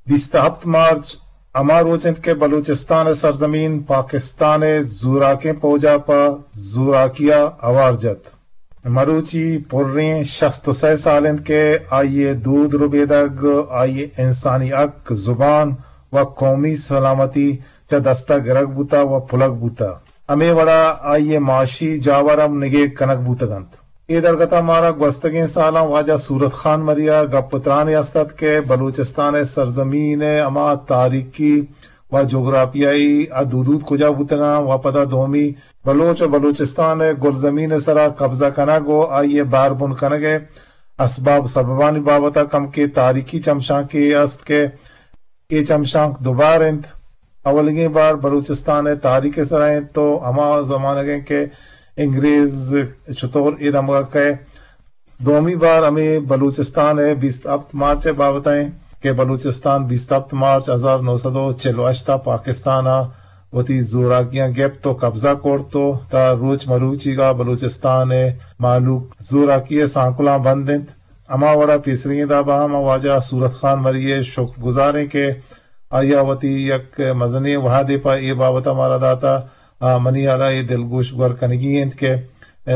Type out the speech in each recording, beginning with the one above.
بیست ءُ ہپت مارچ ہما روچ انت کہ بلوچستان ءِ سرزمین پاکستان ءِ زوراکیں پوج ءَ پہ زوراکی ءَ ہوار جت۔ مروچی پریں شست ءُ سئے سال انت کہ آئی ءِ دود ربیدگ، آئی ءِ انسانی حق، زبان ءُ قومی سلامتی چہ دست ءَ گرگ بوتہ ءُ پلگ بوتہ۔ ہمے وڑا آئی ءِ معاشی جاور ہم نگیگ کنگ بوتگ انت۔ اے درگت ءَ مارا گوستگیں سالاں واجہ صورت خان مری ءَ گپ ءُ ترانے است ات کہ بلوچستان ءِ سرزمین ءِ ہما تاریخی ءُ جغرافیائی حد حدود کجا بوتگ انت ءُ پدا دومی بلوچ ءُ بلوچستان ءِ گلزمین ءِ سرا قبضہ کنگ ءُ آئی ءِ بار بن کنگ ءِ اسباب سببانی بابت ءَ کمکے تاریخی چمشانکے است کہ اے چمشانک دوبار انت۔ اولیگیں بار بلوچستان ءِ تاریخ ءِ سرا انت تو ہما زمانگ انت کہ انگریز چطور اے دمگ ءَ کئے۔ دومی بار ہمے بلوچستان ءِ بیست ءُ ہپت مارچ ءِ بابت ءَ انت کہ بلوچستان بیست ءُ ہپت مارچ ہزار نو سد ءُ چل ءُ ہشت ءَ پاکستان ءَ وتی زوراکیاں گپت ءُ قبضہ کرت ءُ تا روچ مروچیگ ءَ بلوچستان ءِ مہلوک زوراکی ءِ سانکلاں بند انت۔ ہما وڑا پیسریگیں داب ءَ ہم واجہ صورت خان مری ءِ شکر گزار ایں کہ آئی ءَ وتی یک مزنیں وہدے پہ اے بابت ءَ مارا داتہ۔ آ، منی ہیال ءَ اے دلگوش گور کنگی انت کہ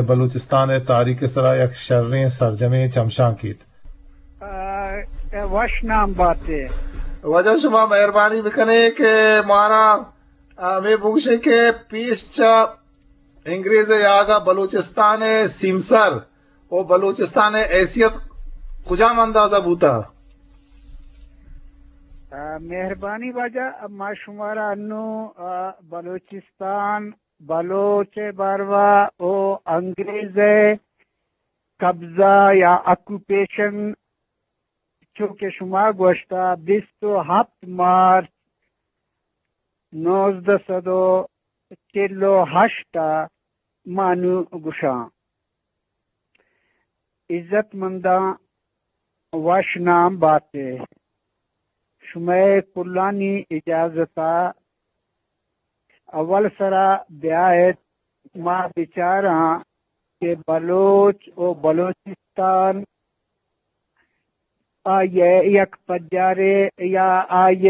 بلوچستان ءِ تاریخ ءِ سرا یک شریں سرجمیں چمشانکے ات۔ آ، وش نام باتے۔ واجہ شما مہربانی بکنے کہ مارا، آ، ہمے بگوشے کہ پیش چہ انگریز ءِ یاگ ءَ بلوچستان ءِ سیمسر ءُ بلوچستان ءِ حیثیت کجام انداز ءَ بوتہ؟ آ، مہربانی واجہ، ما شمارا انوں، آ، بلوچستان، بلوچ ءِ باروا ءُ انگریز ءِ قبضہ یا آکوپیشن، چو کہ شما گوشتہ، بیست ءُ ہپت مارچ نوزدہ سد ءُ چل ءُ ہشت ءَ ما نوں گوشاں۔ عزت منداں، وش نام باتے۔ شمئے کلانی اجازت ءَ اول سرا بیایت ما بچاراں کہ بلوچ ءُ بلوچستان آئی ءِ یک پجارے یا آئی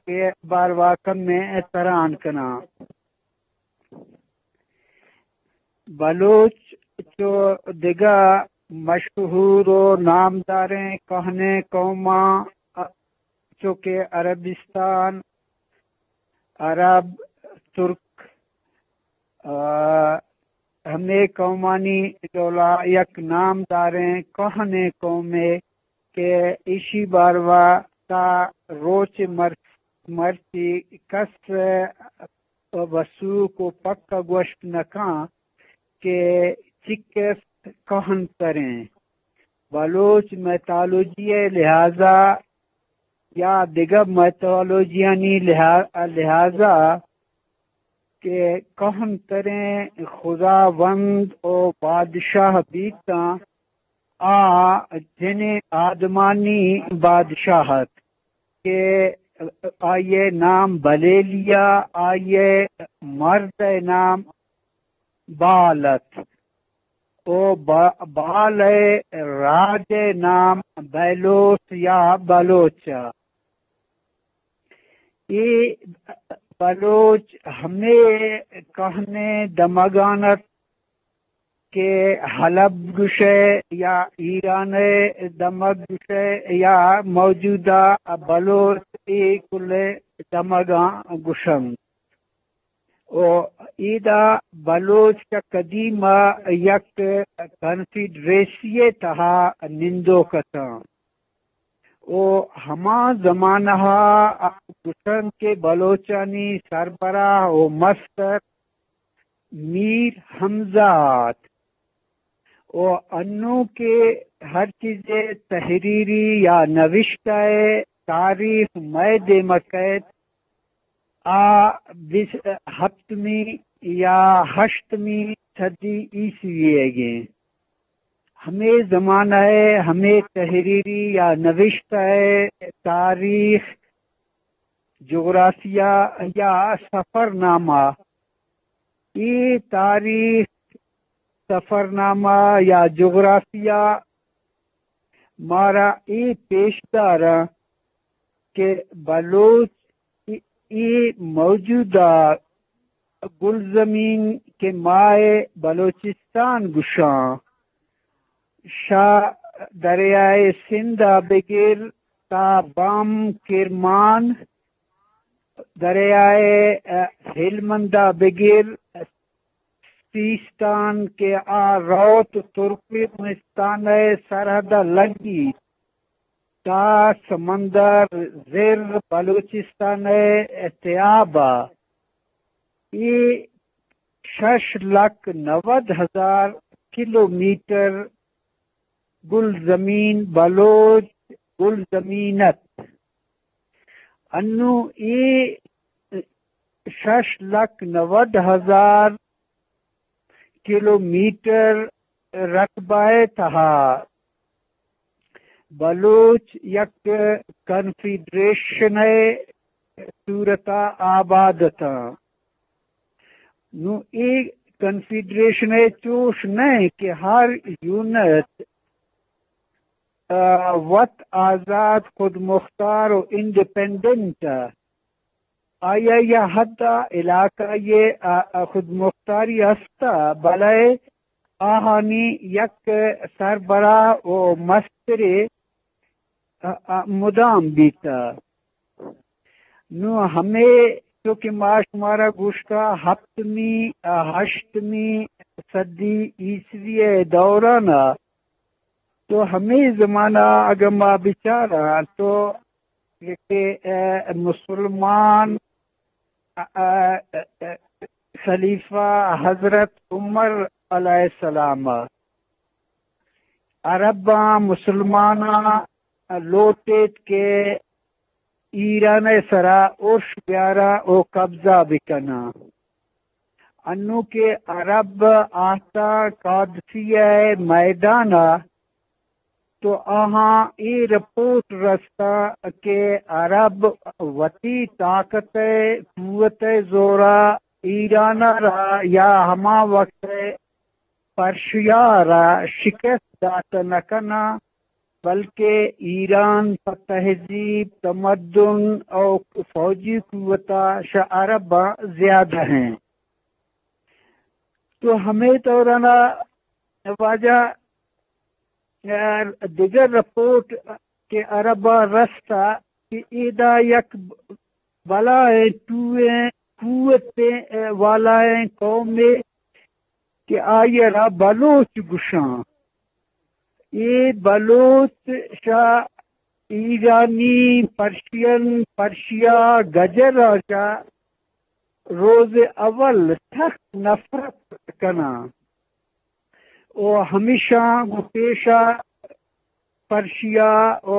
ءِ باروا کمیں تران کناں۔ بلوچ چو دگہ مشہور ءُ نامداریں کوہنیں قوماں، چو کہ عربستان، عرب، ترک، آ، ہمے قومانی ڈولا یک نامداریں کوہنیں قومے کہ ایشی باروا تا روچ مر-، مرچی کس وثوق ءُ پکا گوشت نہ کن کہ چکس کوہن تریں۔ بلوچ میتالوجی ءِ لحاظا یا دگہ میتالوجیانی لحا-، لحاظا کہ کوہن تریں خداوند ءُ بادشاہ بیتاں، آ جنیں آدمانی بادشاہ ات کہ آئی ءِ نام بلیلیا، آئی ءِ مرد ءِ نام بال ات ءُ با-، بال ءِ راج ءِ نام بیلوس یا بلوچ ات۔ اے بلوچ ہمے کوہنیں دمگان ات کہ حلب گوشئے یا ایران ءِ دمگ گوشئے یا موجودہ بلوچ، اے کل ءِ دمگاں گوشنت۔ ءُ ایدا بلوچ چہ قدیم ءَ یک کنفیڈریسی ءِ تہا نندوک اتاں۔ ءُ ہما زمانہ ءَ گوشنت کہ بلوچانی سربراہ ءُ مستر میر حمزہ ات۔ ءُ انوں کہ ہر چیزے تحریری یا نوشتہ ءِ تاریخ مئے دیم ءَ کئیت، آ بیس، ہپتمی یا ہشتمی صدی عیسوی ئیگ ایں۔ ہمے زمانہ ءِ ہمے تحریری یا نوشتہ ءِ تاریخ، جغرافیہ یا سفرنامہ، اے تاریخ، سفرنامہ یا جغرافیہ مارا اے پیش داراں کہ بلوچ ای، ای موجودہ گلزمین کہ ما ء بلوچستان گشاں، شہ دریائے سندھ ء بگر تا بام کرمان، دریائے، ء، ہلمند ء بگر سیستان کہ آ روت ترکمنستان ء سرحد ء لگیت، تا سمندر زر بلوچستان ء تیاب ء، اے شش لکھ نود ہزار کلومیٹر گلزمین، بلوچ گلزمین ات۔ انوں اے شش لکھ نود ہزار کلومیٹر رقبہ ء تہا بلوچ یک کنفیڈریشن ء صورت ء آباد اتاں۔ نوں اے کنفیڈریشن ء چوش نہ کہ ہر یونٹ، آ، وت آزاد، خود مختار و انڈیپینڈنٹ ء آئی ء یا حد ء علاقہ ء، آ، آ خود مختاری ہست ء، بلئے آہانی یک سربراہ و مسترے، آ، آ، مدام بیت۔ نوں ہمے چو کہ ما شمارا گوشتا، ہپتمی، آ، ہشتمی صدی عیسوی ء دوران ء، تو ہمے زمانہ اگہ ما بچاراں تو کہ، اے، مسلمان، اے، اے، اے، خلیفہ حضرت عمر علیہ السلام عرباں مسلماناں لوٹیت کہ ایران ء سرا ارش بیاراں و قبضہ بکناں۔ انوں کہ عرب آہتاں قادسیہ ء میدان ء، تو آہاں اے رپورٹ رستہ کہ عرب وتی طاقت ء قوت ء زورا ایران ء را یا ہما وقت ء پرشیا ء را شکست دات نہ کناں، بلکہ ایران پہ تہذیب، تمدن او فوجی قوت ء شہ عرباں زیادہ ہیں۔ تو ہمے دوران ء واجہ دگہ رپورٹ کہ عرباں رستہ کہ ایدا یک بلائیں ٹوئیں قوتیں والائیں قومے کہ آئی ء را بلوچ گشاں۔ اے بلوچ شہ ایرانی، پرشین، پرشیا، گجر ء چہ روز اول سخت نفرت کناں و ہمیشاں گوں پیشا پرشیا و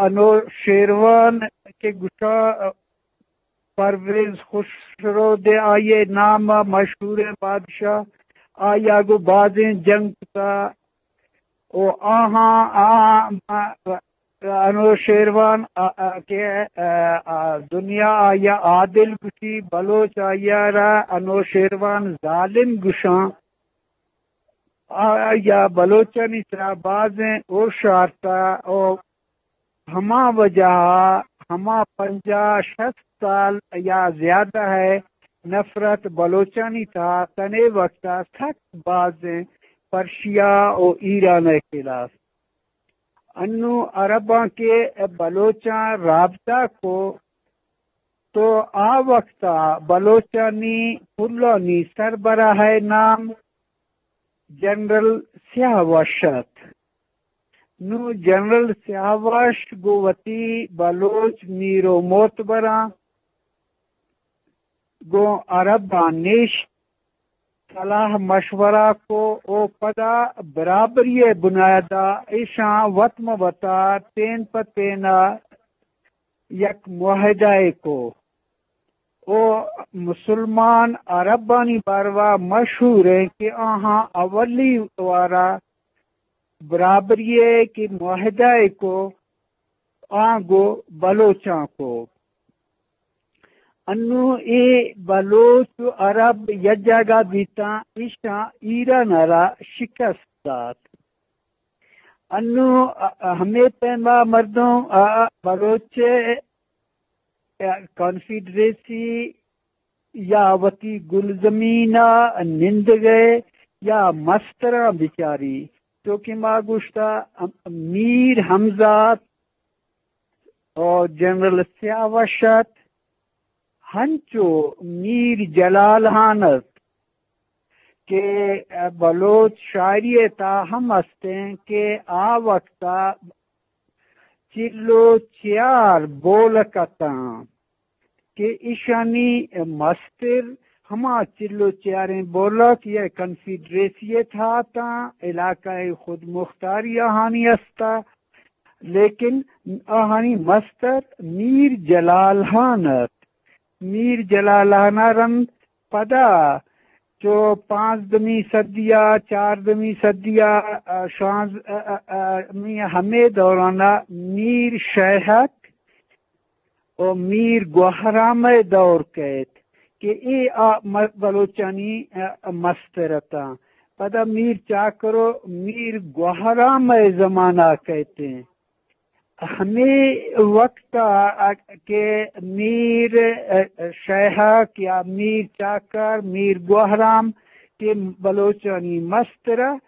انوشیروان کہ گشاں پرویز خسرو دے آئی ء نام ء مشہوریں بادشاہ، آئی ء گوں بازیں جنگ کتا و آہاں، آ، انوشیروان، آ، آ، کہ، آ، آ، دنیا آئی ء عادل گوشی، بلوچ آئی ء را انوشیروان ظالم گوشاں۔ آ، آئی ء بلوچانی سرا بازیں ارش آرتا و ہما وجہ ء ہما پنجاہ شست سال یا زیادہ ء نفرت بلوچانی تہا تنے وقت ء سک بازیں پرشیا و ایران ء خلاف۔ انوں عرباں کہ بلوچاں رابطہ کو تو آ وقت ء بلوچانی پلانی سربراہ ء نام جنرل سیاوش ات۔ نوں جنرل سیاوش گوں وتی بلوچ میر و معتبراں گوں عرباں نشت، صلاح مشورہ کو و پدا برابری ء بنیاد ء ایشاں وت مہ وتا تین پہ تین ء یک معاہدہ ء کو۔ و مسلمان عربانی باروا مشہور ہیں کہ آہاں اولی وارا برابری ء کہ معاہدہ ء کو، آں گو بلوچاں کو۔ انوں اے بلوچ و عرب یک جاگہ بیتاں، ایشاں ایران ء را شکست دات۔ انوں، ا، ا، ہمے پیما مردم، ا، ا، بلوچ ءِ، ا، کانفیڈریسی یا وتی گلزمین ءَ نندگ ءَ یا مستراں بچاری، چو کہ ما گوشتہ، ام-، میر حمزات ءُ جنرل سیاوش ات، ہنچو میر جلال ہان ات کہ بلوچ شاعری ءِ تہا ہم استیں کہ آ وقت ءَ چل ءُ چیار بولک اتاں کہ ایشانی مستر ہما چل ءُ چیاریں بولک یا کنفیڈریسی ءِ تہا اتاں، علاقہ خود مختاری آہانی استا، لیکن آہانی مستر میر جلال ہان ات۔ میر جلال ہان ءَ رند پدا چو پانزدمی صدی ءَ، چاردمی صدی ءَ، ا، شانز-، ا، ا، ا، ہمے دوران ءَ میر شیہک ءُ میر گوہرام ءِ دور کئیت کہ اے آ م-، بلوچانی، ا، مستر اتاں۔ پدا میر چاکر ءُ میر گوہرام ءِ زمانہ کئیت۔ ہمے وقت ءَ کہ میر، ا، شیہک یا میر چاکر، میر گوہرام کہ بلوچانی مستر ات،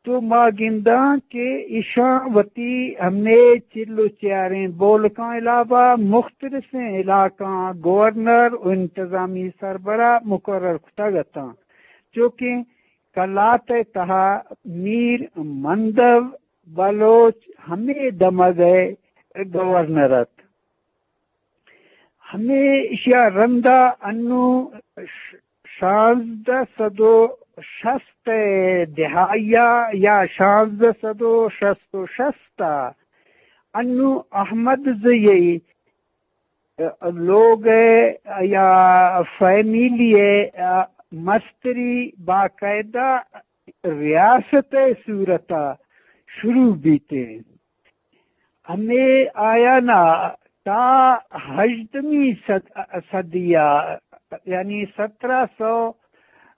تو ما گنداں کہ ایشاں وتی ہمے چل ءُ چیاریں بولکاں علاوہ مختلفیں علاقاں گورنر ءُ انتظامی سربراہ مقرر کتگ اتاں، چو کہ قلات ءِ تہا میر مندو بلوچ ہمے دمگ ءِ گورنر ات۔ ہمے ایشی ءَ رند ءَ انوں ش-، شانزدہ سد ءُ شست ءِ دہائی ءَ یا شانزدہ سد ءُ شست ءُ شست ءَ انوں احمد زئی ءِ لوگ ءِ یا فیملی ءِ مستری باقاعدہ ریاست ءِ صورت ءَ شروع بیت۔ ہمے آیان ءَ تا ہژدمی صد-، صدی ءَ، یعنی سترہ سو،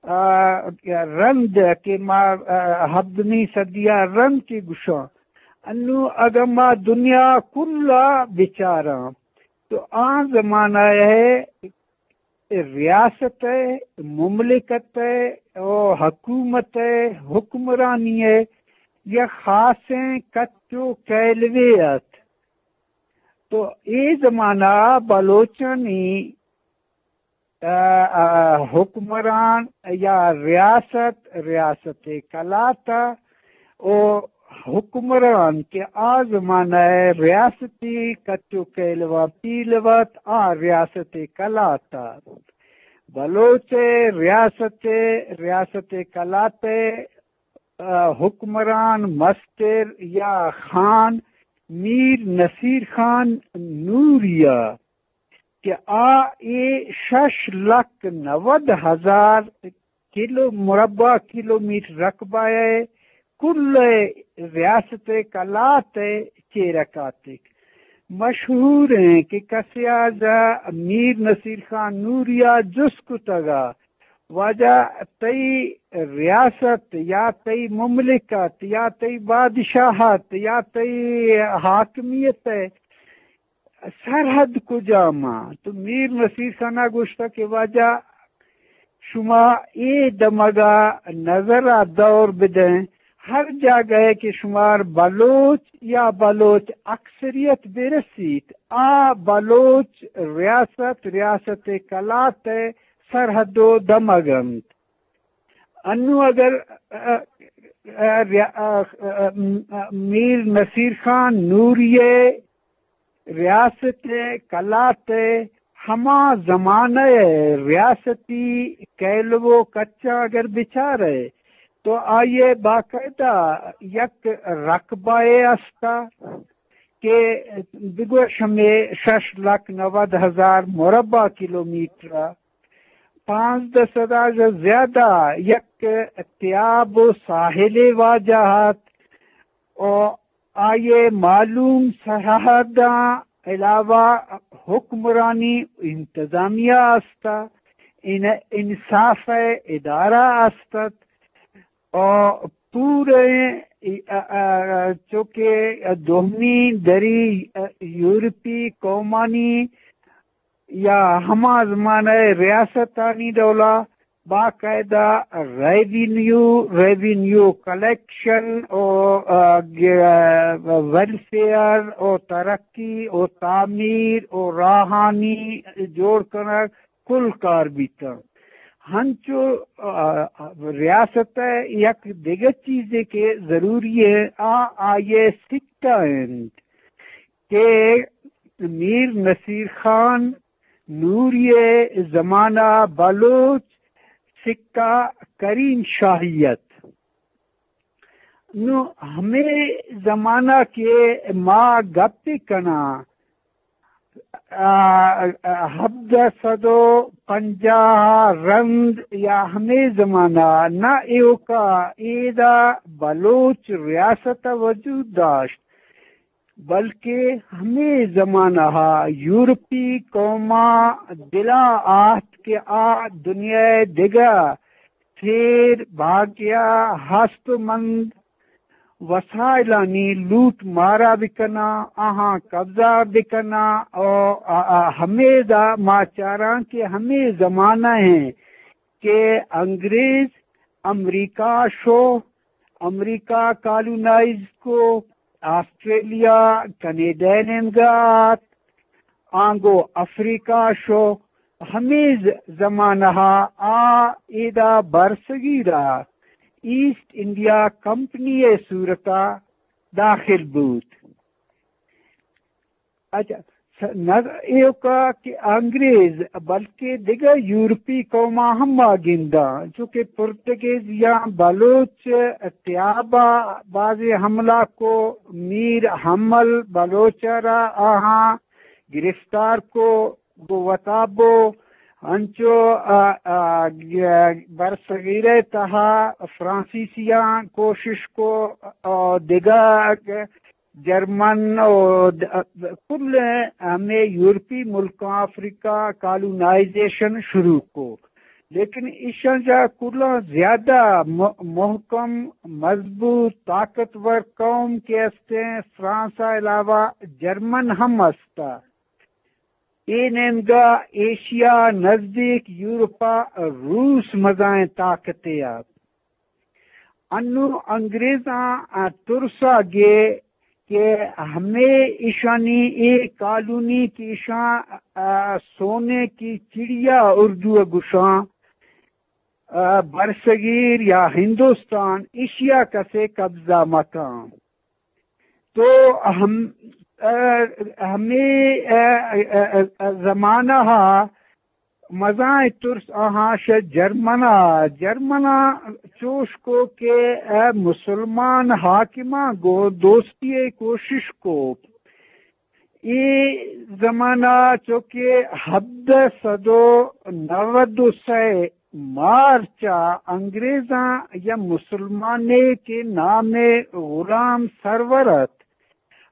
آ، رند کہ ما، آ، ہبدمی صدی ءَ رند کہ گوشاں، انوں اگاں ما دنیا کل ءَ بچاراں تو آ زمانہ ءِ ریاست ءِ، مملکت ءِ ءُ حکومت ءِ حکمرانی ءِ یک خاصیں کچ ءُ کیلوے ات۔ تو اے زمانہ ءَ بلوچانی، آ، آ، حکمران یا ریاست، ریاست قلات ءُ حکمران کہ آ زمانہ ءِ ریاستی کچ ءُ کیلواں پیلو ات، آ ریاست قلات ات۔ بلوچ ءِ ریاست، ریاست قلات ءِ، آ، حکمران مستر یا خان میر نصیر خان نوری ءَ کہ آ اے شش لکھ نود ہزار کلو، مربع کلومیٹر رقبہ ءِ کل ءِ ریاست قلات ءِ چیرا کاتگ۔ مشہور ایں کہ کسے ءَ میر نصیر خان نوری ءَ جست کتگ ءَ، واجہ، تئی ریاست یا تئی مملکت یا تئی بادشاہت یا تئی حاکمیت ءِ سرحد کجام آں؟ تو میر نصیر خان ءَ گوشتگ کہ واجہ، شما اے دمگ ءَ نظر ءَ دور بدئیں، ہر جاگہ ءَ کہ شمار بلوچ یا بلوچ اکثریت برسیت، آ بلوچ ریاست، ریاست قلات ءِ سرحد ءُ دمگ انت۔ انوں اگر، ا، ا، ا، ریا-، ا، ا، ا، میر نصیر خان نوری ءِ ریاست ءِ قلات ءِ ہما زمانہ ءِ ریاستی کیلو ءُ کچاں اگر بچارئے تو آئی ءِ باقاعدہ یک رقبہ ءِ است ءَ کہ بگوش ہمے شش لکھ نود ہزار مربع کلومیٹر ءَ پانزدہ سد ءَ زیادہ یک تیاب ءُ ساحلے واجہ ات ءُ آئی ءِ معلوم سرحداں علاوہ حکمرانی انتظامیہ است ات، ان-، انصاف ءِ ادارہ است ات ءُ پوریں ای-، ا-، ا-، چو کہ دومی دری، ا، یورپی قومانی یا ہما زمانہ ریاستانی ڈولا باقاعدہ ریونیو، ریونیو کلیکشن او، ا، گ-، ویلفیئر او ترقی او تعمیر او راہانی جوڑ کنگ کل کار بیتاں۔ ہنچو، ا، ریاست ء یک دگہ چیزے کہ ضروری ہے، آ آئی ء سکہ انت کہ میر نصیر خان نوری ء زمانہ بلوچ سکہ کریم شاہی ات۔ نو ہمے زمانہ کہ ما گپ کناں، آ، آ، ہبدہ سد و پنجاہ رند یا ہمے زمانہ نہ ایوکا ایدا بلوچ ریاست وجود داشت، بلکہ ہمے زمانہ یورپی قوماں دلا آہت کہ آ دنیا دگہ سیر بھاگیا ہست مند وسائلانی لوٹ مارا بکناں، آہاں قبضہ بکناں، او آ، آ، ہمیدا ما چاراں کہ ہمے زمانہ ہیں کہ انگریز امریکہ شو، امریکہ کالونائز کو، آسٹریلیا، کینیڈا نیمگا آت، آنگو افریقہ شو، ہمے ز-، زمانہ آ ایدا برصغیرا ایسٹ انڈیا کمپنی ء صورتا داخل بوت۔ اچھا، س-، نہ ایوکا کہ انگریز بلکہ دگہ یورپی قوماں ہم ما گنداں، چونکہ پرتگیزیاں بلوچ تیابا بازیں حملہ کو، میر حمل بلوچ را آہاں گرفتار کو، گوں وتا بو، انچو، آ، آ، گ-، برصغیرہ تہا فرانسیسیاں کوشش کو، آ، دگہ جرمن و د-، کل ہمے یورپی ملکاں افریقہ کالونائزیشن شروع کو، لیکن ایشاں جا کلاں زیادہ م-، محکم، مضبوط، طاقتور قوم کہ استیں، فرانس ء علاوہ جرمن ہم استا۔ اے نیمگا ایشیا نزدیک یورپا روس مزائیں طاقتے ات۔ انوں انگریزاں ترسا گے کہ ہمے ایشانی اے کالونی کہ ایشاں، آ، سونے کی چڑیا اردو ء گشاں، آ، برصغیر یا ہندوستان، ایشیا کسے قبضہ مکاں۔ تو ہم، آ، ہمے، آ، آ، آ، آ، زمانہ ء مزائیں ترس آہاں شہ جرمنا، جرمنا چوش کو کہ اے مسلمان حاکماں گوں دوستی ء کوشش کو۔ اے زمانہ چونکہ ہبدہ سد و نود و سئے مارچ ء انگریزاں یا مسلمانے کہ نام غلام سرور ات،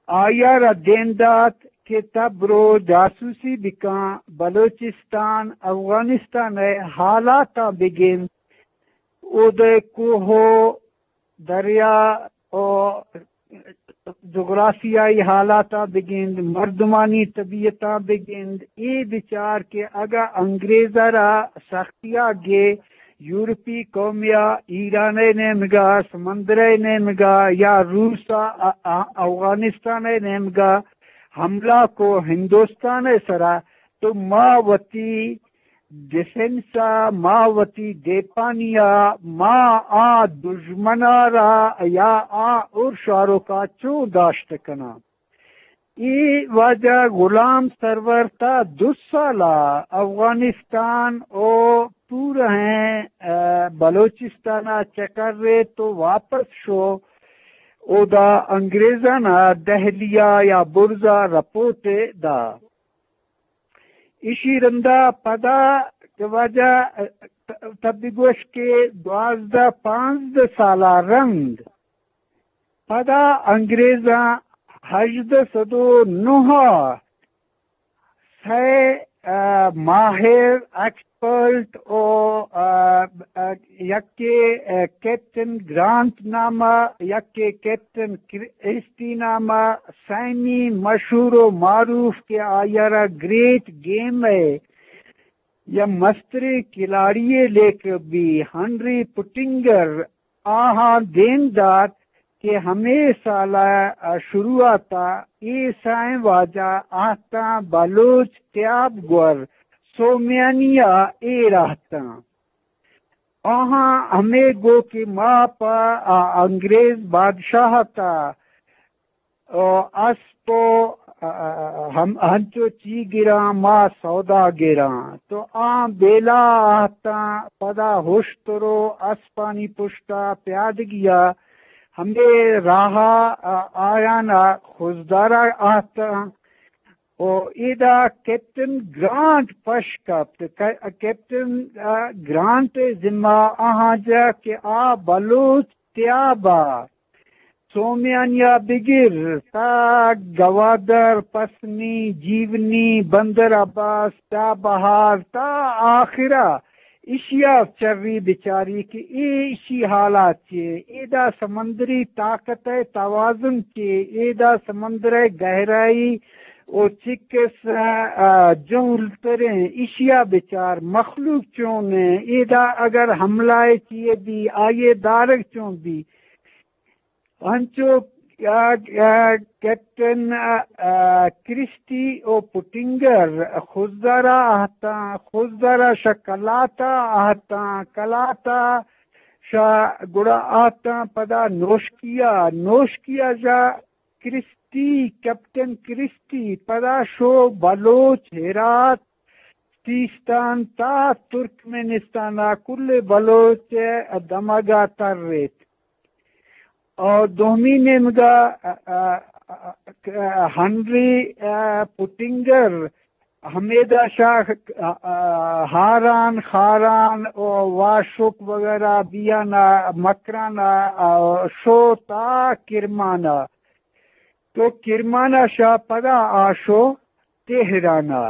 آئی ء را دیم دات کہ تہ برو جاسوسی بکن، بلوچستان، افغانستان ء حالاتاں بگند، اود ء کوہ و دریا و جغرافیائی حالاتاں بگند، مردمانی طبیعتاں بگند، اے بچار کہ اگاں انگریز ء را سختیا گے یورپی قومیا ایران ء نیمگا، سمندر ء نیمگا یا روس ء ا-، ا-، افغانستان ء نیمگا حملہ کو ہندوستان ء سرا، تو ما وتی ڈیفنس ء، ما وتی دیپانی ء، ما آ دژمن ء را یا آ اور شاروکا چون داشت کناں؟ اے واجہ غلام سرور تا دو سالا افغانستان او پورہیں، ا، بلوچستان ء چکر ریت و واپس شو، اودا انگریزان ء دہلی ء یا برز ء رپورٹ دا۔ ایشی رندا پدا کہ واجہ، ا، ت-، تبی گوش کہ دوازدہ پانزدہ سالا رند پدا انگریزاں ہژدہ سد و نہ ء سئے آ، ماہر، ایکسپرٹ او، آ، آ، یکے، آ، کیپٹن گرانٹ نامہ، یکے کیپٹن کرسٹی نامہ، سیمی مشہور و معروف کہ آئی ءَ را گریٹ گیم ءِ یا مستریں کھلاڑی ءِ لیکہ بی، ہنری پٹنگر، آہاں دیم دات کہ ہمے سال ءِ شروعات ءَ اے سئیں واجہ آہتاں بلوچ تیاب گور سومیانی ءَ ایر آہتاں۔ آہاں ہمے گو کہ ما پہ آ انگریز بادشاہت ءَ او اسپ و، ا، ا، ہم، ہنچو چی گراں، ما سودا گراں۔ تو آ بیلا آہتاں، پدا ہشتر و اسپانی پشتا پیادگیا ہمے راہا، ا، آیانا خضدارا آہتاں۔ او ایدا کیپٹن گرانٹ پش کپت۔ کہ-، کیپٹن، ا، گرانٹ ذمہ آہاں جا کہ آ بلوچ تیابا سومیانیا بگر تا گوادر، پسنی، جیونی، بندر عباس، چابہار تا آخرا ایشیا چری بچاری کہ اے ایشی حالات چے، ایدا سمندری طاقت ءِ توازن چے، ایدا سمندر ءِ گہرائی او چکس، آ، جہل تریں، ایشیا بچار مخلوق چون ایں، ایدا اگر حملہ ءِ چیے بی، آئیے دارگ چون بی۔ انچو، آ، آ، کیپٹن، آ، آ، کرسٹی او پٹنگر خضدارا آہتاں، خضدارا شہ کلاتا آہتاں، کلاتا شہ گڑا آہتاں پدا نوشکیا، نوشکیا شہ کرسٹی، کیپٹن کرسٹی پدا شو بلوچ، ہرات، سیستان تا ترکمنستان ءَ کل بلوچ ءِ دمگ ءَ تر ایت۔ اور دومی نیمگا، ا، ا، ا، ہنری، ا، پوٹنگر، ہمیدا شاہ، ا، ا، ہاران، خاران و واشک وغیرہ بیانا مکرانا، ا، شو تا کرمانا۔ تو کرمانا شاہ پدا آ شو تہرانا۔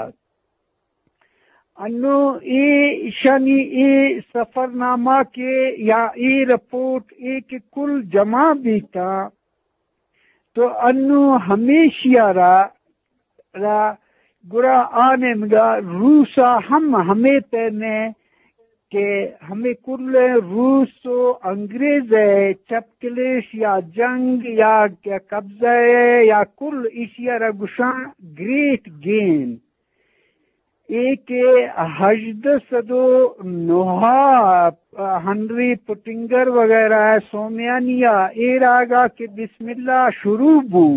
انوں اے ایشانی اے سفرنامہ کہ یا اے رپورٹ اے کہ کل جمع بیتاں، تو انوں ہمیشی ءَ را، را گڑا آ نیمگا روس ءَ ہم ہمے پیمیں کہ ہمے کل روس و انگریز ءِ چپ کلیش یا جنگ یا قبضہ ءِ یا کل ایشی ءَ را گشاں گریٹ گیم۔ اے کہ ہژدہ سد و نہ ءَ ہنری پٹنگر وغیرہ ءِ سومیانی ءَ اے راگا کہ بسم اللہ شروع بو،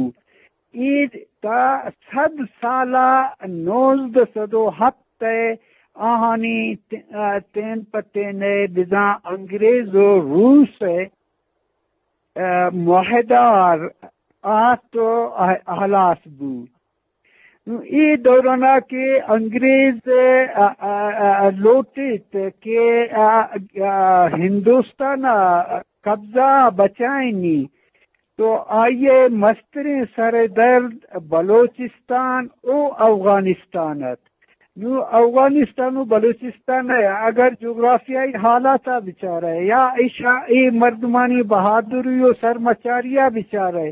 اے تا صد سالا نوزدہ سد و ہپت ءِ آہانی ت-، تین پہ تین ءِ بزاں انگریز و روس ءِ، ا، معاہدہ آت و ہلاس بو۔ نوں اے دورانا کہ انگریز، ا، ا، ا، لوٹیت کہ، ا، ا، ہندوستان ءَ قبضہ بچائینی، تو آئی ءِ مستریں سر درد بلوچستان و اوغانستان ات۔ نوں اوغانستان و بلوچستان ءِ اگر جغرافیائی حالات ءَ بچارئے یا ایشاں اے مردمانی بہادری و سرمچاری ءَ بچارئے،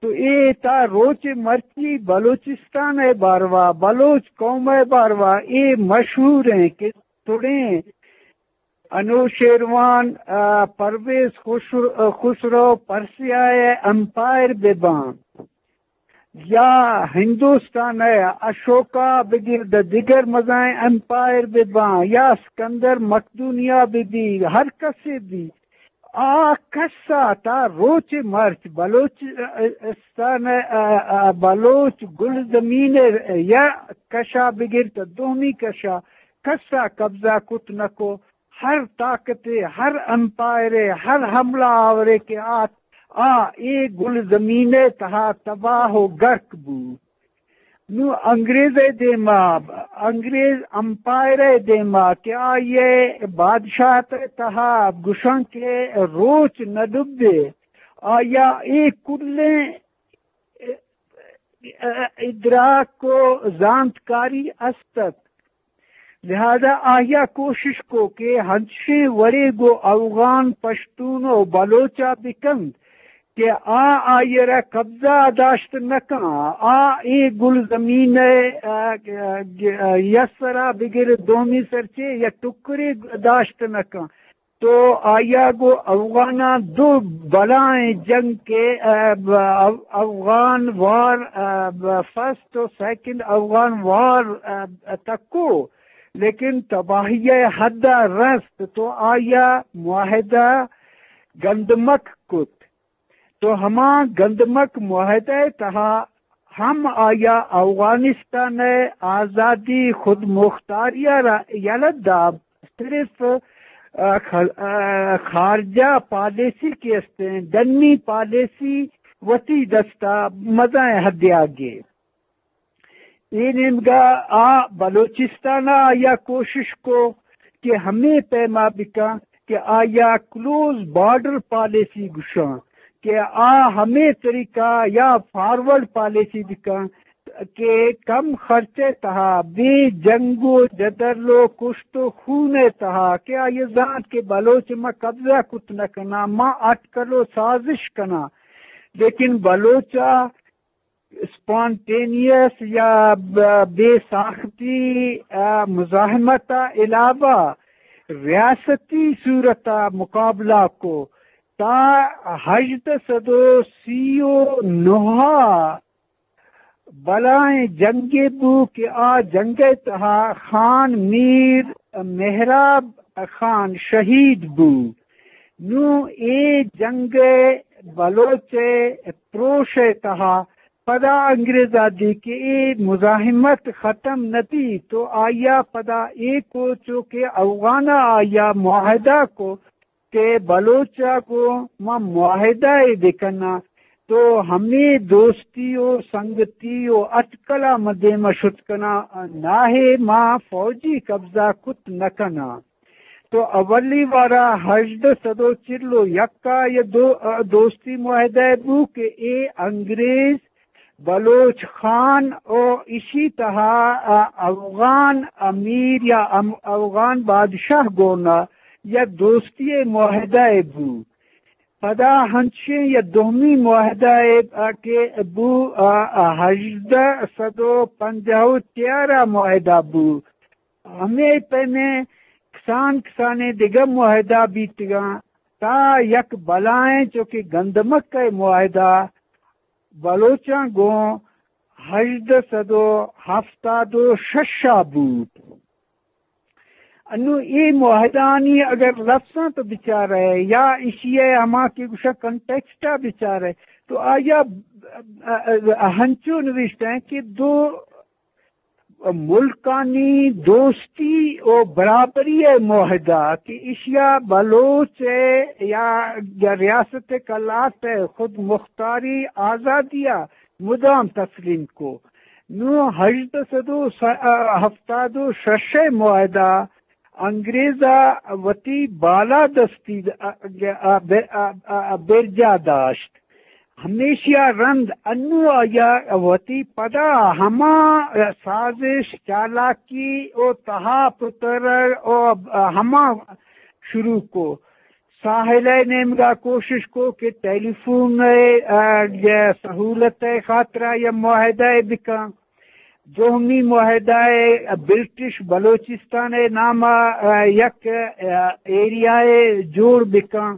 تو اے تا روچ مرچی بلوچستان ءِ باروا، بلوچ قوم ءِ باروا اے مشہور ایں کہ تڑیں انوشیروان، ا، پرویز خسر-، خسرو پرسیا ءِ امپائر بہ باں، یا ہندوستان ءِ اشوکا بگر دہ دگر مزائیں امپائر بہ باں، یا اسکندر مقدونیہ بہ بی، ہر کسے بی، آ کسا تا روچ مرچ بلوچ، ا، استان ءِ، ا، ا، بلوچ گلزمین ءِ یک کشا بگر تا دومی کشا کسا قبضہ کت نکو۔ ہر طاقتے، ہر امپائرے، ہر حملہ آورے کہ آت، آ اے گلزمین ءِ تہا تباہ و گرک بو۔ نوں انگریز ءِ دیما، انگریز امپائر ءِ دیما کہ آئی ءِ بادشاہت ءِ تہا گشاں کہ روچ نہ ڈبے، آیا اے کلیں ادراک و زانتکاری است ات۔ لہذا آئی ءَ کوشش کو کہ ہنچیں وڑے گوں اوغان، پشتون و بلوچ ءَ بکنت کہ آ آئی ءَ را قبضہ ءَ داشت نہ کن، آ اے گلزمین ءِ، آ، آ، یک سرا بگر دومی سر چے یک ٹکرے داشت نہ کن۔ تو آئی ءَ گوں اوغاناں دو بلائیں جنگ کہ، آ، ب-، او-، اوغان وار، آ، ب-، فرسٹ و سیکنڈ اوغان وار، آ، تکو، لیکن تباہی ءِ حد ءَ رست تو آئی ءَ معاہدہ گندمک کت۔ تو ہما گندمک معاہدہ ءِ تہا ہم آئی ءَ اوغانستان ءِ آزادی، خود مختاری ءَ را یلہ دات، صرف، آ، خ-، آ، خارجہ پالیسی کہ استیں، ڈنی پالیسی وتی دستا مزائیں حدے آ گے۔ اے نیمگا آ بلوچستان ءَ آئی ءَ کوشش کو کہ ہمے پیما بکن کہ آئی ءَ کلوز بارڈر پالیسی گوشاں کہ آ ہمے طریقہ یا فارورڈ پالیسی بکن کہ کم خرچ ءِ تہا، بے جنگ و جدل و کشت و خون ءِ تہا کہ آئی ءَ زانت کہ بلوچ ما قبضہ کت نہ کناں، ما اٹکل و سازش کناں، لیکن بلوچ ءَ اسپانٹینیس یا ب-، بے ساختی، آ، مزاحمت ءَ علاوہ ریاستی صورت ءَ مقابلہ کو تا ہژدہ سد و سی و نہ ءَ بلائیں جنگے بو کہ آ جنگ ءِ تہا خان میر مہراب خان شہید بو۔ نوں اے جنگ ءِ بلوچ ءِ پروش ءِ تہا پدا انگریز ءَ دی کہ اے مزاحمت ختم نہ بی تو آئی ءَ پدا اے کو چو کہ اوغان ءَ آئی ءَ معاہدہ کو کہ بلوچ ءَ گوں ما معاہدہ ءَ بکناں تو ہمے دوستی و سنگتی و اٹکل ءَ ما دیم ءَ شت کناں، ناہے ما فوجی قبضہ کت نہ کناں۔ تو اولی وارا ہژدہ سد و چل و یک ءَ یہ دو-، دوستی معاہدہ بو کہ اے انگریز بلوچ خان و ایشی تہا، آ، اوغان امیر یا ام-، اوغان بادشاہ گونا یا دوستی معاہدہ بو۔ پدا ہنچیں یا دومی معاہدہ، آ، کہ بو، آ، آ، ہژدہ سد و پنجاہ و چیارا معاہدہ بو۔ ہمے پیمیں کسان کسانیں دگہ معاہدہ بیتگاں تا یک بلائیں چو کہ گندمک ءِ معاہدہ بلوچاں گوں ہژدہ سد و ہفتاد و شش ءَ بوت۔ انوں اے معاہدانی اگر لفظاں تو بچارئے یا ایشی ءِ ہما کہ گوشاں کنٹیکسٹ ءَ بچارئے تو آیا ہنچو نوشتہ ایں کہ دو ملکانی دوستی و برابری ءِ معاہدہ کہ ایشیا بلوچ ءِ یا، یا ریاست قلات ءِ خود مختاری آزادی ءَ مدام تسلیم کو۔ نوں ہژدہ سد و ہفتاد و شش ءِ معاہدہ انگریز ءَ وتی بالادستی ءَ، ءَ، ءَ، ءَ، ءَ برجا داشت۔ ہمیشی ءَ رند انوں آئی ءَ وتی پدا ہما سازش، چالاکی و تہا پتر و ہما شروع کو۔ ساحل ءِ نیمگا کوشش کو کہ ٹیلی فون ءِ، آ، سہولت ءِ خاطرا یا معاہدہ ءَ بکن۔ دومی معاہدہ ءَ برٹش بلوچستان ءِ نام ءَ، آ، یک، آ، ایریا ءَ جوڑ بکن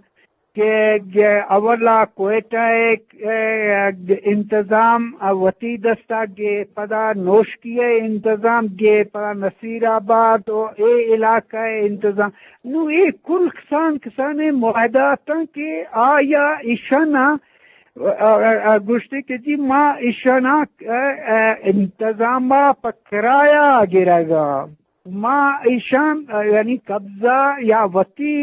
کہ اولا کوئٹہ ءِ، آ، انتظام وتی دستا گے، پدا نوشکی ءِ انتظام گے، پدا نصیر آباد و اے علاقہ ءِ انتظام۔ نوں اے کل کسان کسانیں معاہدہ اتاں کہ آیا ایشانا، آ، آ، آ، گوشتے کہ جی ما ایشانا، آ، آ، انتظام ءَ پہ کرایہ گرگا۔ ما ایشان، آ، یعنی قبضہ یا وتی،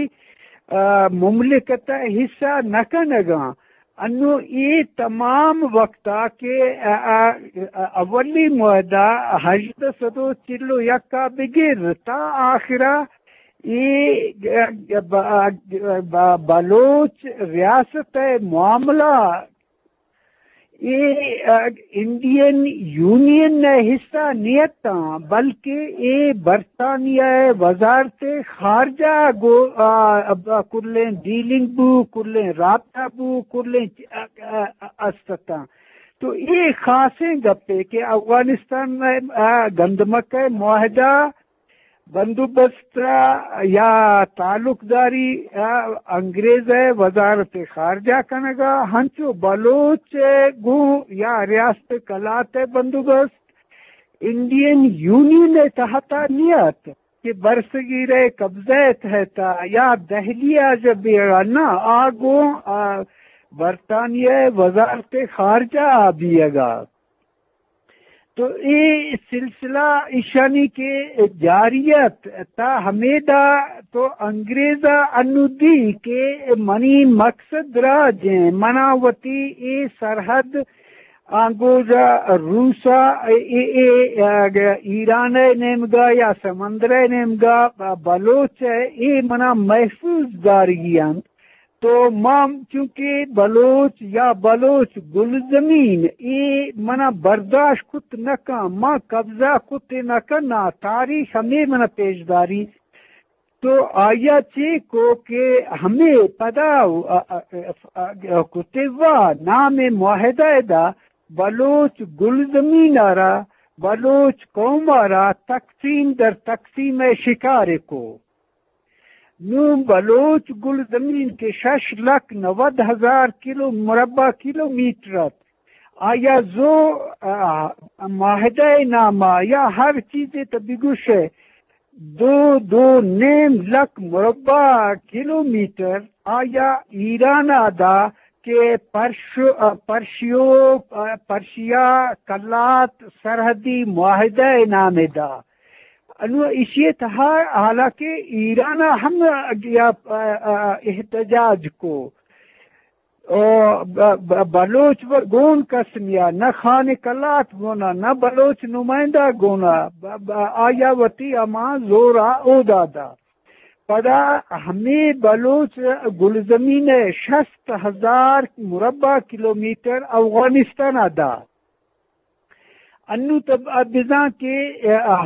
آ، مملکت ءِ حصہ نہ کنگاں۔ انوں اے تمام وقتا کہ، آ، آ، آ، اولی معاہدہ ہژدہ سد و چل و یک ءَ بگر تا آخرا اے، آ، ب-، آ، ب-، بلوچ ریاست ءِ معاملہ اے، آ، انڈین یونین ءِ حصہ نیتاں، بلکہ اے برطانیہ ءِ وزارت خارجہ گو، آ، آ، کلیں ڈیلنگ بو، کلیں رابطہ بو، کلیں چ-، آ، آ، آ، استتاں۔ تو اے خاصیں گپے کہ افغانستان ءِ، آ، گندمک ءِ معاہدہ بندوبست ءَ یا تعلقداری ءَ انگریز ءِ وزارت خارجہ کنگ ءَ، ہنچو بلوچ ءَ گوں یا ریاست کلات ءِ بندوبست انڈین یونین ءِ تحت ءَ نیت کہ برصغیر ءِ قبضہ ءِ تحت ءَ یا دہلی ءَ جب بیگ ءَ نہ، آ گوں، آ، برطانیہ ءِ وزارت خارجہ ءَ بیگ ءَ۔ تو اے سلسلہ ایشانی کہ جاری ات تا ہمیدا تو انگریزا انو دی کہ منی مقصد راج ایں، منا وتی اے سرحد آنگوزا روسا اے، اے، اے، ایران ءِ نیمگا یا سمندر ءِ نیمگا بلوچ ءِ اے منا محفوظ دارگی انت۔ تو ما چونکہ بلوچ یا بلوچ گلزمین اے منا برداشت کت نہ کن، ما قبضہ کت نہ کناں، تاریخ ہمے منا پیش داری۔ تو آیا چے کو کہ ہمے پدا، آ، آ، آ، آ، کتے وا نام معاہدہ دا بلوچ گلزمین ءَ را، بلوچ قوم ءَ را تقسیم در تقسیم ءِ شکار کو۔ نوں بلوچ گلزمین کہ شش لکھ نود ہزار کلو مربع کلومیٹر ات، آیا زو، آ، معاہدہ ءِ نام ءَ یا ہر چیزے تو بگوش ئے، دو، دو نیم لکھ مربع کلومیٹر آیا ایران ءَ دا کہ پرش-، آ، پرشیو، آ، پرشیا کلات سرحدی معاہدہ ءِ نام ءَ دا۔ انو ایشی ءِ تہا حالانکہ ایران ءَ ہم یا، آ، آ، احتجاج کو۔ او ب-، ب-، بلوچ و گون کس نیا، نہ خان کلات گونا، نہ بلوچ نمائندہ گونا، ب-، ب-، آیا وتی ہما زورا اودا دا۔ پدا ہمے بلوچ گلزمین ءِ شست ہزار مربع کلومیٹر افغانستان ءَ دا۔ انو تو ب-، بزاں کہ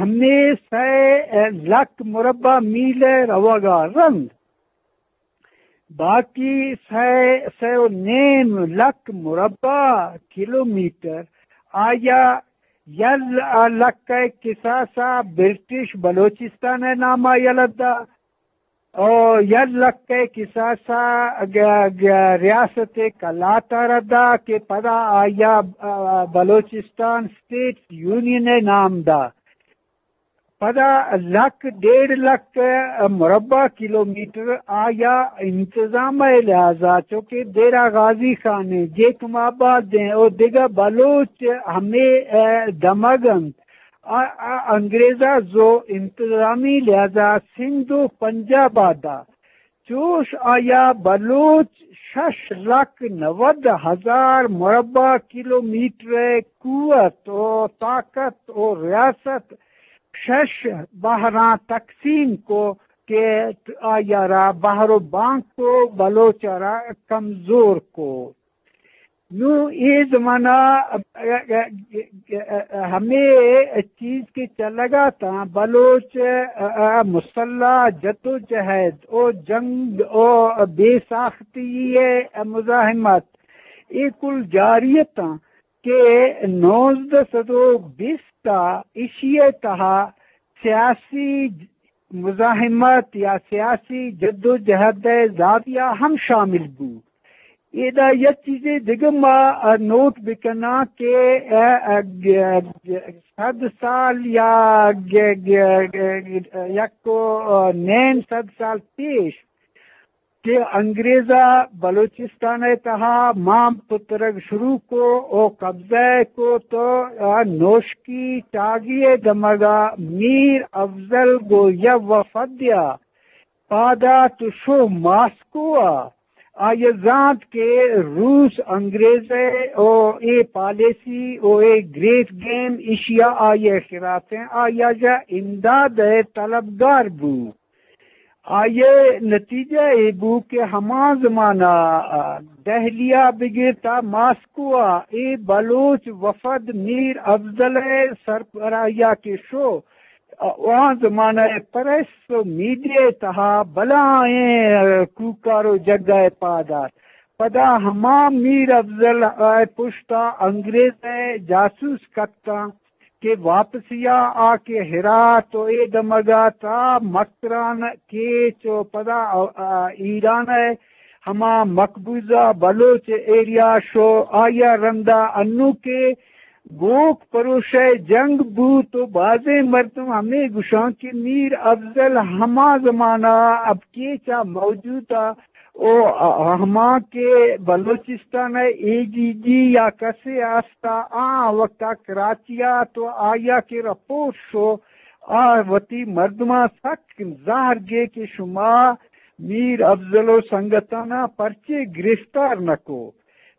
ہمے سئے لکھ مربع میل ءِ روگا رند۔ باقی سئے، سئے و نیم لکھ مربع کلومیٹر آیا یک لکھ ءِ کساسا برٹش بلوچستان ءِ ناما یلہ دا، او یک لکھ ءِ کساسا گ-، گ-، ریاست کلات ءَ را دا کہ پدا آیا، آ، بلوچستان اسٹیٹ یونین ءِ نام دا۔ پدا لکھ، ڈیڑھ لکھ مربع کلومیٹر آیا انتظام ءِ لحاظا، چونکہ ڈیرہ غازی خان ایں، جیکب آباد ایں، او دگہ بلوچ ہمے، اے، دمگ انت۔ آ، آ، انگریزا زو انتظامی لحاظا سندھ و پنجاب ءَ دا۔ چوش آیا بلوچ شش لکھ نود ہزار مربع کلومیٹر ءِ قوت و طاقت و ریاست شش بہراں تقسیم کو کہ آیا را بہر و بانک کو، بلوچ ءَ را کمزور کو۔ نوں اے زمانہ ہمے چیز کہ چلگا تاں، بلوچ مسلح جدوجہد و جنگ و بے ساختی ءِ مزاحمت، اے کل جاری اتاں کہ نوزدہ سد و بیست ءَ ایشی ءِ تہا سیاسی مزاحمت یا سیاسی جدوجہد ءِ زاویہ ہم شامل بو۔ ادا یک چیزے دگہ ما، آ، نوٹ بکناں کہ، آ، آ، گ-، گ-، صد سال یا گ-، گ-، گ-، یک و، آ، نیم صد سال پیش کہ انگریزا بلوچستان ءِ تہا مام پترگ شروع کو او قبضہ کو تو، آ، نوشکی چاگی ءِ دمگا میر افضل گو یک وفدیا پاد آت و شو ماسکو ءَ۔ آئی ءَ زانت کہ روس انگریز ءِ او اے پالیسی او اے گریٹ گیم ایشی ءَ آئی ءِ خلاف ایں، آئی ءَ جا امداد ءِ طلبگار بو۔ آئی ءِ نتیجہ اے بو کہ ہما زمانہ، آ، دہلی ءَ بگر تا ماسکو ءَ اے بلوچ وفد میر افضل ءِ سربراہی ءَ کہ شو، آ، آ زمانہ ءِ پریس و میڈیا ءِ تہا بلاہیں، آ، کوکار و جگہ ءَ پاد آت۔ پدا ہما میر افضل ءِ پشت ءَ انگریز ءِ جاسوس کپتاں۔ کہ واپسی ءَ آ کہ ہرات و اے دمگ ءَ تا مکران، کیچ و پدا، آ، آ، ایران ءِ ہما مقبوضہ بلوچ ایریا شو، آئی ءَ رندا انو کہ گوک پروش ءِ جنگ بوت و بازیں مردم ہمے گوشاں کہ میر افضل ہما زمانہ اب کیچ ءَ موجود ءَ او ہما کہ بلوچستان ءِ اے ڈی جی یا کسے است ءَ، آ وقت ءَ کراچی ءَ تو آئی ءَ کہ رپورٹ شو، آ وتی مردماں سک زہر گے کہ شما میر افضل و سنگتاناں پرچے گرفتار نہ کو۔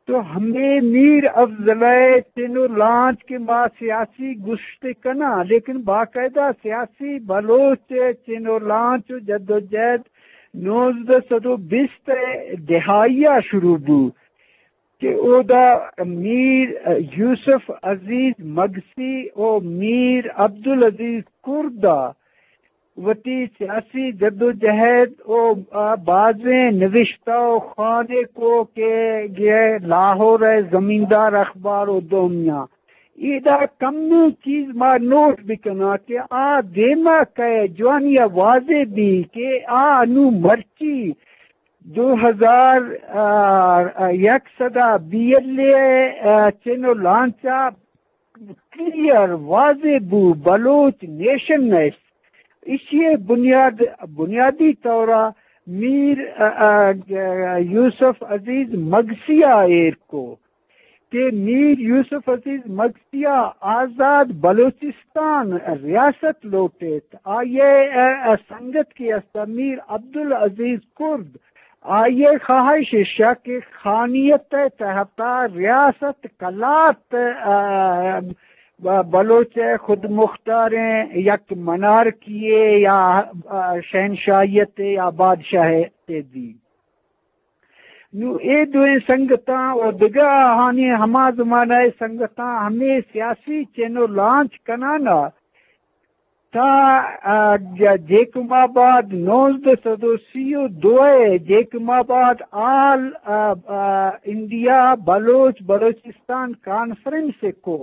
تو ہمے میر افضل ءِ چن و لانچ کہ ما سیاسی گوشت کناں، لیکن باقاعدہ سیاسی بلوچ ءِ چن و لانچ و جدوجہد نوزدہ سد و بیست ءِ دہائی ءَ شروع بو کہ اودا میر یوسف عزیز مگسی و میر عبدالعزیز کرد ءَ وتی سیاسی جدوجہد و، آ، بازیں نوشتہ و خانے کو کہ گے لاہور ءِ زمیندار اخبار و دومیاں۔ ایدا کمیں چیز ما نوٹ بکناں کہ آ دیما کئے جوانی ءَ واضح بی کہ آ انو مرچی دو ہزار، آ، آ، یک سد ءَ بی ایل اے ءِ، آ، چن و لانچ ءَ کلیئر واضح بو بلوچ نیشن نیست۔ ایشی ءِ بنیاد، بنیادی طور ءَ میر، آ، آ، یوسف عزیز مگسی ءَ ایر کو کہ میر یوسف عزیز مگسی ءَ آزاد بلوچستان ریاست لوٹیت۔ آئی ءِ، آ، آ، سنگت کہ است میر عبدالعزیز کرد، آئی ءِ خواہش ایش ءَ کہ خانیت ءِ تحت ءَ ریاست قلات، آ، ب-، بلوچ ءِ خود مختاریں یک منارکی یے یا، آ، شہنشاہیت یے یا بادشاہیت یے دی۔ نوں اے دوئیں سنگتاں و دگہ آہانی ہما زمانہ ءِ سنگتاں ہمے سیاسی چن و لانچ کنان ءَ تا، آ، ج-، جیکب آباد نوزدہ سد و سی و دو ءِ جیکب آباد آل، آ، آ، انڈیا بلوچ بلوچستان کانفرنس ءَ کو۔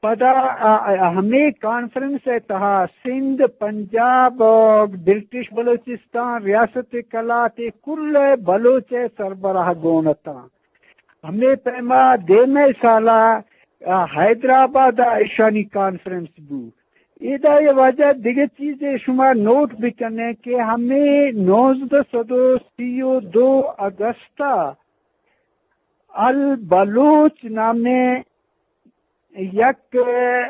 پدا، آ، آ، ہمے کانفرنس ءِ تہا سندھ، پنجاب، آ، برٹش بلوچستان، ریاست قلات ءِ کل ءِ بلوچ ءِ سربراہ گون اتاں۔ ہمے پیما دیمے سالا، آ، حیدرآباد ءَ ایشانی کانفرنس بو۔ ادا اے واجہ دگہ چیزے شما نوٹ بکنے کہ ہمے نوزدہ سد و سی و دو اگست ءَ البلوچ نامیں یک،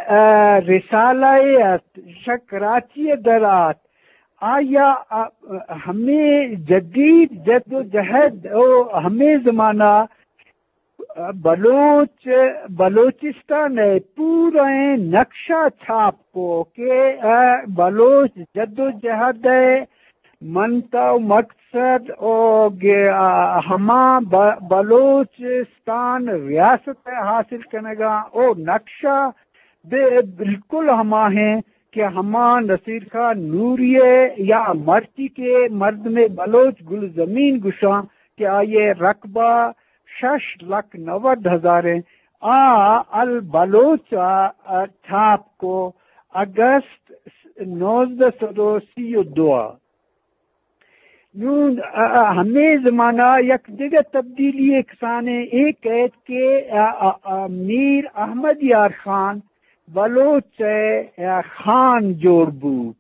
آ، رسالہ یے ات، شہ کراچی ءَ در آت۔ آیا، آ، ہمے جدید جد و جہد و ہمے زمانہ بلوچ، بلوچستان ءِ پورئیں نقشہ چھاپ کو کہ، آ، بلوچ جد و جہد ءِ منت و مقصد و گ-، آ، ہما ب-، بلوچستان ریاست ءِ حاصل کنگا او نقشہ بے-، بالکل ہما ہیں کہ ہما نصیر خان نوری ءِ یا مرچی کہ مردم بلوچ گلزمین گشاں کہ آئی ءِ رقبہ شش لکھ نود ہزار ءَ آ البلوچ ءَ، آ، چھاپ کو اگست نوزدہ سد و سی و دو ءَ۔ نوں، آ، آ، ہمے زمانہ یک دگہ تبدیلی ءِ کسانیں اے کئیت کہ، آ، آ، آ، میر احمد یار خان بلوچ ءِ، آ، خان جوڑ بوت۔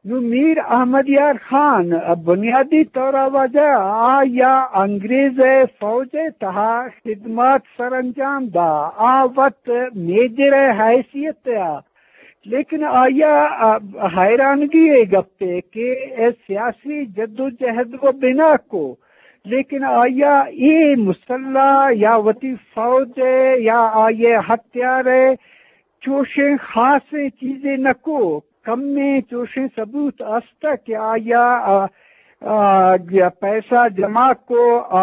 نوں میر احمد یار خان بنیادی طور ءَ واجہ آ یا انگریز ءِ فوج ءِ تہا خدمات سر انجام دا، آ وت میجر ءِ حیثیت ءَ، لیکن آئی ءَ حیرانگی ءِ گپے کہ اے سیاسی جدوجہد و بنا کو، لیکن آئی ءَ اے مسلح یا وتی فوج ءِ یا آئی ءِ ہتھیار ءِ چوشیں خاصیں چیزے نہ کو۔ کمیں چوشیں ثبوت است کہ آیا، آ، آ، پیسہ جمع کو، آ،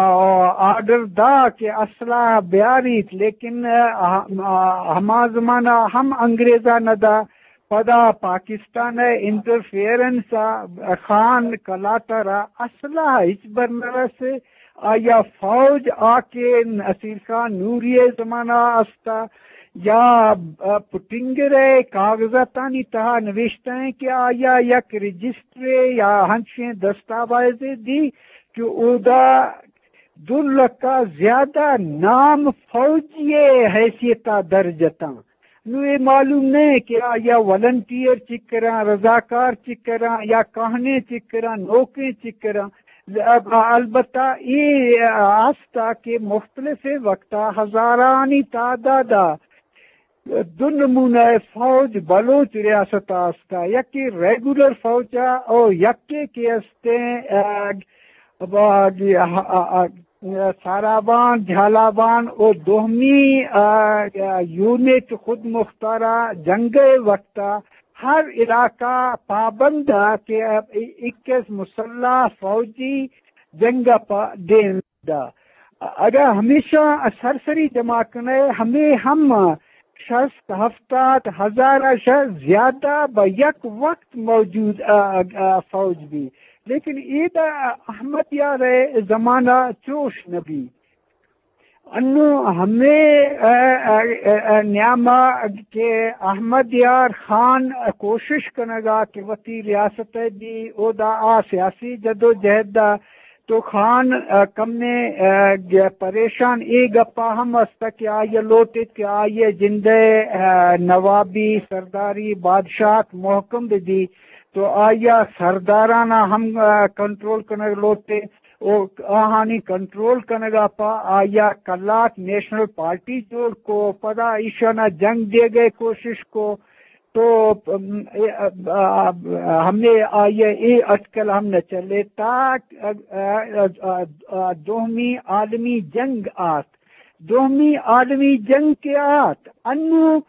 آرڈر دا کہ اسلحہ بیاریت، لیکن، آ، آ، ہما زمانہ ہم انگریزا نہ دا۔ پدا پاکستان ء انٹرفیئرنس ء خان کلات ء را اسلحہ ہچبر نہ رس۔ آیا فوج آ کہ نصیر خان نوری ء زمانہ ء استا یا، آ، پٹنگر ء کاغذاتانی تہا نوشتہ ہیں کہ آیا یک رجسٹرے یا ہنچیں دستاویزے دی کہ اودا دو لکھ ء زیادہ نام فوجی ء حیثیت ء درج اتاں۔ نوں اے معلوم نہ کہ آیا والنٹیئر چکراں، رضاکار چکراں یا کہنیں چکراں، نوکیں چکراں۔ ال-، البتہ اے ہستا کہ مختلف وقتا ہزارانی تعداد ء دو نمونہ فوج بلوچ ریاست ء استا، یکے ریگولر فوج ء او یکے کہ استیں، آ، با-، آ، آ، آ، سارابان، جھالابان او دومی، آ، آ، یونٹ خود مختارا جنگ ء وقت ء ہر علاقہ پابند ء کہ اکیس مسلح فوجی جنگ ء پا دیم دا۔ اگاں ہمیشاں سرسری جمع کنئے، ہمے ہم شست ہفتاد ہزار ء شہ زیادہ بہ یک وقت موجود ء، ء، ء فوج بی، لیکن اے دا احمد یار ء زمانہ چوش نہ بی۔ انوں ہمے، ء، ء، ء، ء نیاما کہ احمد یار خان کوشش کنگا کہ وتی ریاست ء بی، اودا آ سیاسی جدوجہد ء تو خان، ء، کمے، ء، گ-، پریشان اے گپا ہم است کہ آئی ء لوٹیت کہ آئی ء جند ء، ء، نوابی، سرداری، بادشاہت مہکم بہ بی، تو آئی ء سردارانا ہم، ء، کنٹرول کنگ لوٹے۔ او آہانی کنٹرول کنگا پا آئی ء کلات نیشنل پارٹی جوڑ کو، پدا ایشانا جنگ دیگے کوشش کو۔ تو، ام، اے، ا، ا، ہمے آئی ء اے اٹکل ہم نہ چلے تا، ا، ا، ا، ا، دومی عالمی جنگ آت۔ دومی عالمی جنگ کہ آت، انوں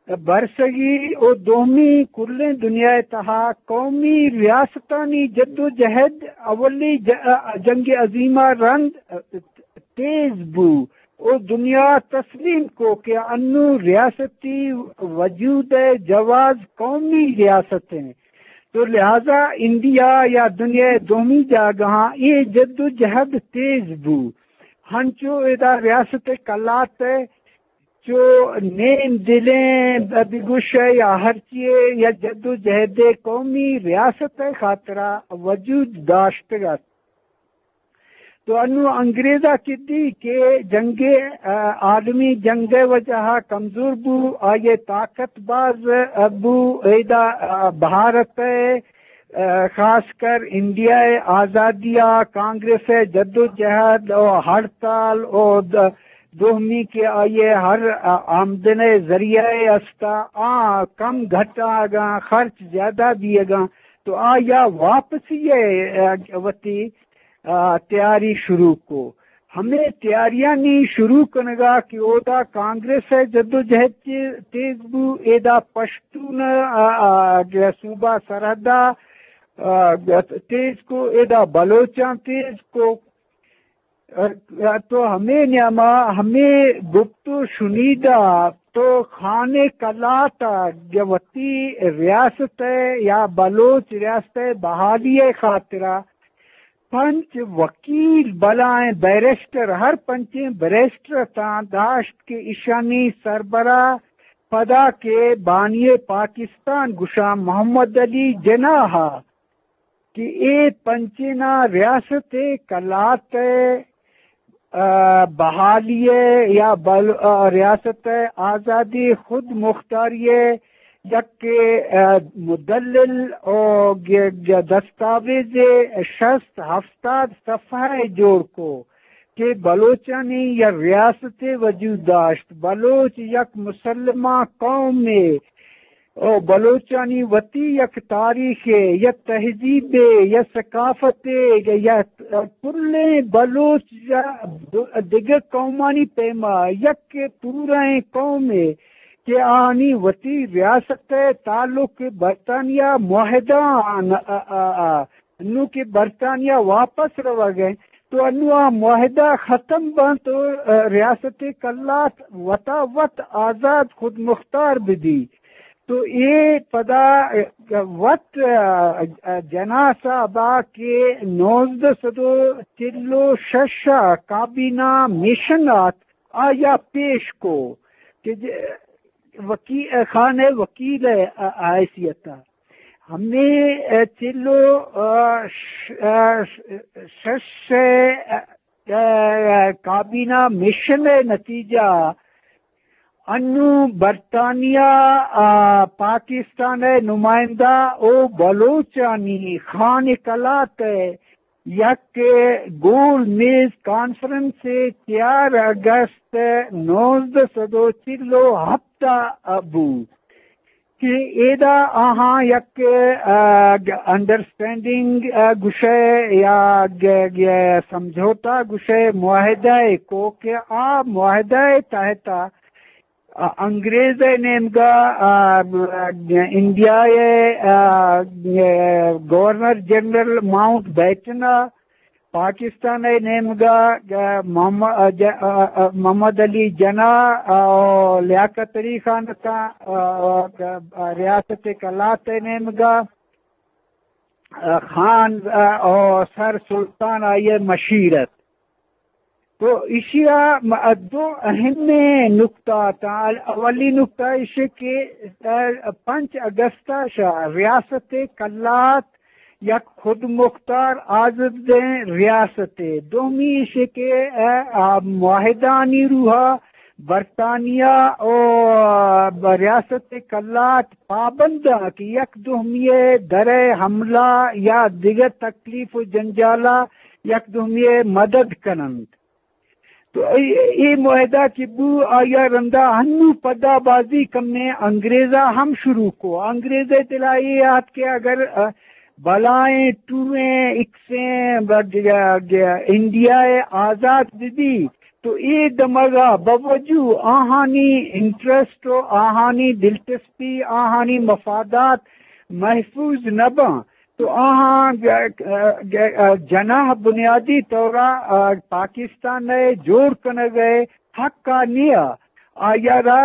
برسگی او دومی کلیں دنیا ء تہا قومی ریاستانی جدوجہد اولی ج-، ا، جنگ عظیم ء رند، ا، تیز بو۔ او دنیا تسلیم کو کہ انوں ریاستی وجود ء جواز قومی ریاست انت۔ تو لہذا انڈیا یا دنیا ء دومی جاگہاں اے جدوجہد تیز بو۔ ہنچو ادا ریاست ء کلات ء چو نیم دلیں بگوش ء یا ہرچی ء یا جدوجہد ء قومی ریاست ء خاطرا وجود داشتگ ات۔ تو انوں انگریزا کدی کہ جنگ، ء، عالمی جنگ ء وجہ ء کمزور بو، آئی ء طاقت باز، ء، بو، ایدا، ء، بھارت ء، ء، خاص کر انڈیا ء آزادی ء کانگریس ء جدوجہد و ہڑتال و د-، دومی کہ آئی ء ہر، ء، آمدن ء ذریعہ ء استا، آ کم گھٹاگاں، خرچ زیادہ بیگاں، تو آیا واپسی ء، ء، وتی ء تیاری شروع کو۔ ہمے تیاریانی شروع کنگا کہ اودا کانگریس ء جدوجہد چے-، تیز بو، ایدا پشتون ء، ء، ء، صوبہ سرحد ء، ء، تیز کو، ایدا بلوچاں تیز کو۔ ء، ء، تو ہمے نیاما ہمے گپت و شنیدہ تو خان کلات ء وتی ریاست ء یا بلوچ ریاست ء بحالی ء خاطرا پنچ وکیل بلائیں بیرسٹر، ہر پنچیں بیرسٹر اتاں داشت کہ ایشانی سربراہ پدا کہ بانی پاکستان گشاں محمد علی جناح ء کہ اے پنچیناں ریاست ء کلات ء، ء، بحالی ء یا بل-، ء، ریاست ء آزادی خود مختاری ء یک، ء، مدلل و گ-، گ-، دستاویز شست ہفتاد صفحہ ء جوڑ کو کہ بلوچانی یا ریاست وجود داشت، بلوچ یک مسلمان قومے، او بلوچانی وتی یک تاریخے، یک تہذیبے، یک ثقافتے، یک کلیں بلوچ یا دگہ قومانی پیما یک پورائیں قومے کہ آنی وتی ریاست ءِ تعلق برطانیہ معاہدہ آن، آ، آ، آ، نوں کہ برطانیہ واپس روگ ءَ، تو انوں آ معاہدہ ختم بنت تو، آ، ریاست کلات وتا وت آزاد خود مختار بدی۔ تو اے پدا، آ، وت، آ، آ، جناح صاحب ءَ کہ نوزدہ سد و چل و شش ءَ کابینہ مشن آت، آیا پیش کو کہ ج-، وکی-، خان ءِ وکیل ءِ حیثیت ءَ۔ ہمے چل و شش ءِ کابینہ مشن ءِ نتیجہ انوں برطانیہ ءَ پاکستان ءِ نمائندہ و بلوچانی خان کلات ءِ یک گول میز کانفرنس ءَ چار اگست نوزدہ سد و چل و ہپت ءَ بوت کہ ایدا آہاں یک، آ، گ-، انڈرسٹینڈنگ، آ، گشئے یا گ-، گ-، سمجھوتا گشئے معاہدہ ءَ کو کہ آ معاہدہ ءِ تحت ءَ آ، انگریز ءِ نیمگا، آ، انڈیا ءِ، آ، گورنر جنرل ماؤنٹ بیٹن ءَ، پاکستان ءِ نیمگا، آ، محمد، آ، ج-، آ، آ، محمد علی جناح، آ، لیاقت علی خان ءَ، آ، آ، ریاست کلات ءِ نیمگا، آ، خان، آ، آ، سر سلطان آئی ءِ مشیر ات۔ تو ایشی ءَ م-، دو اہمیں نکتہ اتاں۔ اولی نکتہ ایش کہ، آ، پنچ اگست ءَ شہ ریاست کلات یک خود مختار آزادیں ریاستے۔ دومی ایش کہ، آ، آ، معاہدانی روح ءَ برطانیہ و ریاست کلات پابند ءَ کہ یک دومی ءِ در ءِ حملہ یا دگہ تکلیف و جنجال ءَ یک دومی ءِ مدد کن انت۔ تو اے، اے معاہدہ کہ بو، آیا رندا ہنو پدا بازی کمیں انگریزا ہم شروع کو۔ انگریز ءِ دل ءَ اے آت کہ اگر، آ، بلائیں ٹوئیں اکسیں ب-، گ-، گ-، انڈیا ءِ آزاد بہ بی، تو اے دمگا باوجود آہانی انٹرسٹ و آہانی دلچسپی، آہانی مفادات محفوظ نہ باں۔ تو آہاں گ-، گ-، گ-، جناح بنیادی طورا، آ، پاکستان ءِ جوڑ کنگ ءِ حق ءَ نیا۔ آیا را،